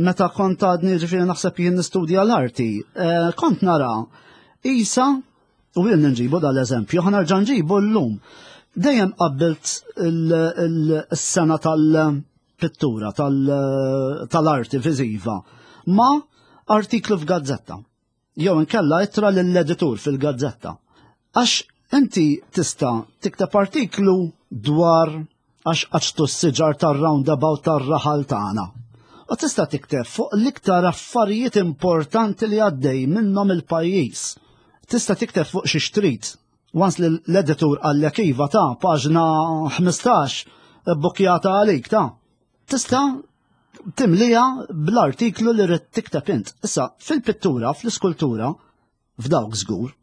meta kont għadni ġifieri naħseb jien nistudja l-arti, eh, kont nara isa u jien nġibu dal-eżempju, ħanerġa' nġibu llum. Dejjem qabbilt il-sena tal-pittura, tal-arti viżiva ma' artiklu f'gazzetta. Jew inkella ittra lill-editur fil-gazzetta. Għax inti tista' tikteb artiklu dwar għax qaċtu s-siġar tar-roundabout tar-raħal tagħna. U tista' tikteb fuq l-iktar affarijiet importanti li għaddej minnhom il-pajjiż. Tista' tikteb fuq xi xtrid. Once li l-editur qallek iva ta' paġna 15 bbukkjata għalik ta' tista' timlija bl-artiklu li rrid tikteb int. Issa, fil-pittura, fl-iskultura, f'dawk żgur,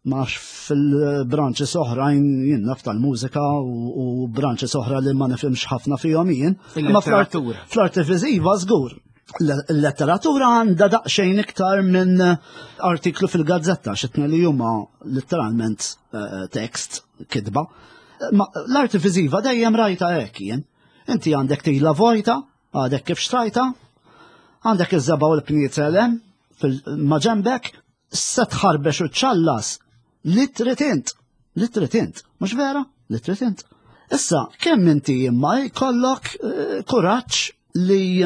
ma nafx fil-branches oħrajn jien naf tal-mużika u branches oħra li ma nifhimx ħafna fihom jien. Ma fl-arti viżiva żgur. Il-letteratura għandha daqsxejn iktar minn artiklu fil-gazzetta xitna li huma letteralment eh, tekst kitba. Ma l-arti viżiva dejjem rajta hekk jien. Inti għandek tila vojta, għadek kif xtrajta, għandek iż-żeba u l-pniezel hemm maġenbek, se tħarbex u ċallas li trid int, li trid int, mhux vera? Li trid int. Issa, kemm inti imma jkollok eh, kuraġġ li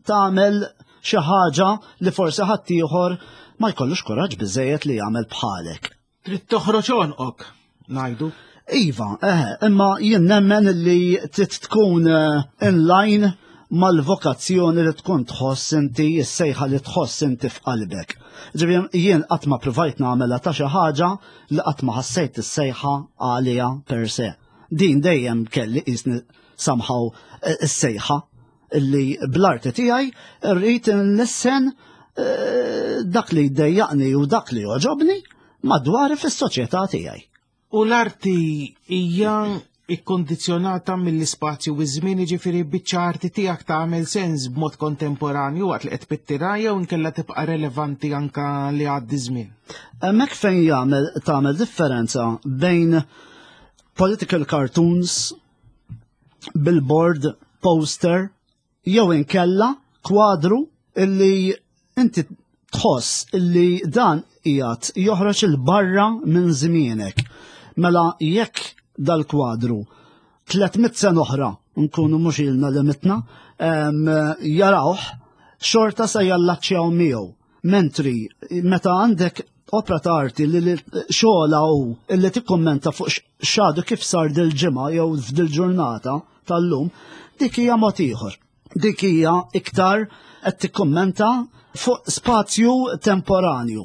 tagħmel xi ħaġa li forsi ħaddieħor ma jkollux kuraġġ biżejjed li jagħmel bħalek. Trid toħroġ għonqok, ngħidu. Iva, eh, imma jien nemmen li trid tkun eh, in line mal-vokazzjoni li tkun tħoss inti, is-sejħa li tħoss inti f'qalbek. Ġifieri jien qatt ma provajt nagħmilha ta' xi ħaġa li qatt ma ħassejt is-sejħa għaliha per se. Din dejjem kelli qisni somehow eh, is-sejħa li bl-arti tiegħi rrid nlissen eh, dak li jdejjaqni u dak li joġobni madwari fis-soċjetà tiegħi. U l-arti hija ikkondizzjonata mill-ispazju u ż-żmien jiġifieri biċċa arti tiegħek tagħmel sens b'mod kontemporanju waqt li qed pittira jew inkella tibqa' relevanti anka li għaddi żmien. Hemmhekk fejn jagħmel tagħmel differenza bejn political cartoons, billboard, poster, jew inkella kwadru illi inti tħoss illi dan qiegħed joħroġ il barra minn żmienek. Mela jekk dal-kwadru 300 sena oħra nkunu mhux ilna li mitna jarawh xorta se jallaċċjaw miegħu. Mentri meta għandek opra ta' arti li xogħla hu illi tikkummenta fuq x'għadu kif sar dil-ġimgħa jew f'dil-ġurnata tal-lum, dik hija mod ieħor. Dik hija iktar qed tikkummenta fuq spazju temporanju,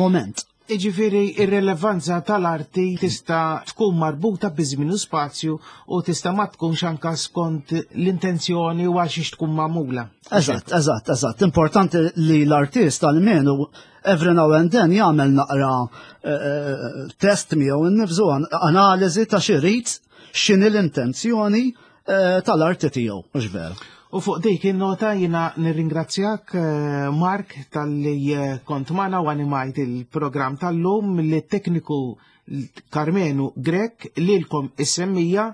moment. Iġifieri ir-relevanza tal-arti tista' tkun marbuta bi żmien u spazju u tista' ma tkunx anka skont l-intenzjoni u għal xiex tkun magħmula. Eżatt, eżatt, eżatt. Importanti li l-artist almenu every now and then jagħmel naqra eh, eh, test miegħu innifsu analiżi ta' xi rid x'inhi l-intenzjoni eh, tal-arti tiegħu, mhux vera. U fuq dik in-nota jina nirringrazzjak eh, Mark tal-li eh, kont magħna u animajt il-programm tal-lum li tekniku Karmenu Grek lilkom is-semmija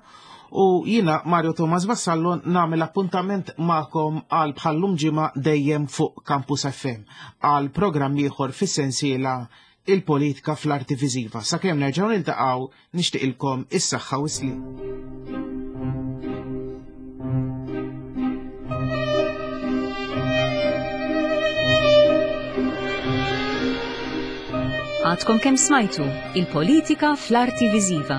u jina Mario Thomas Vassallo nagħmel appuntament magħkom għal bħallum ġimgħa dejjem fuq Campus FM għal programm ieħor fis-sensiela il-politika fl-arti viżiva. Sakemm nerġgħu niltaqgħu nixtieqilkom is-saħħa u s-sliem. Għadkom kemm smajtu il-politika fl-arti viżiva.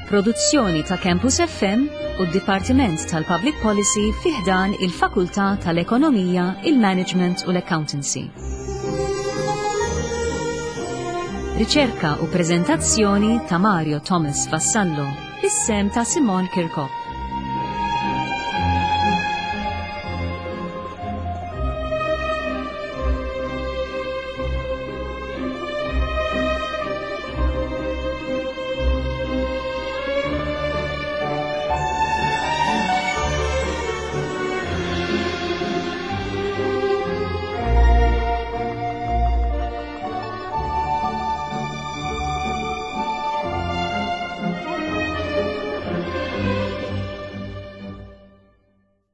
Produzzjoni ta' Campus FM u d-Dipartiment tal-Public Policy fi ħdan il-Fakultà tal-Ekonomija, il-Management u l-Accountancy. Riċerka u preżentazzjoni ta' Mario Thomas Vassallo, bis-sem ta' Simon Kirkop.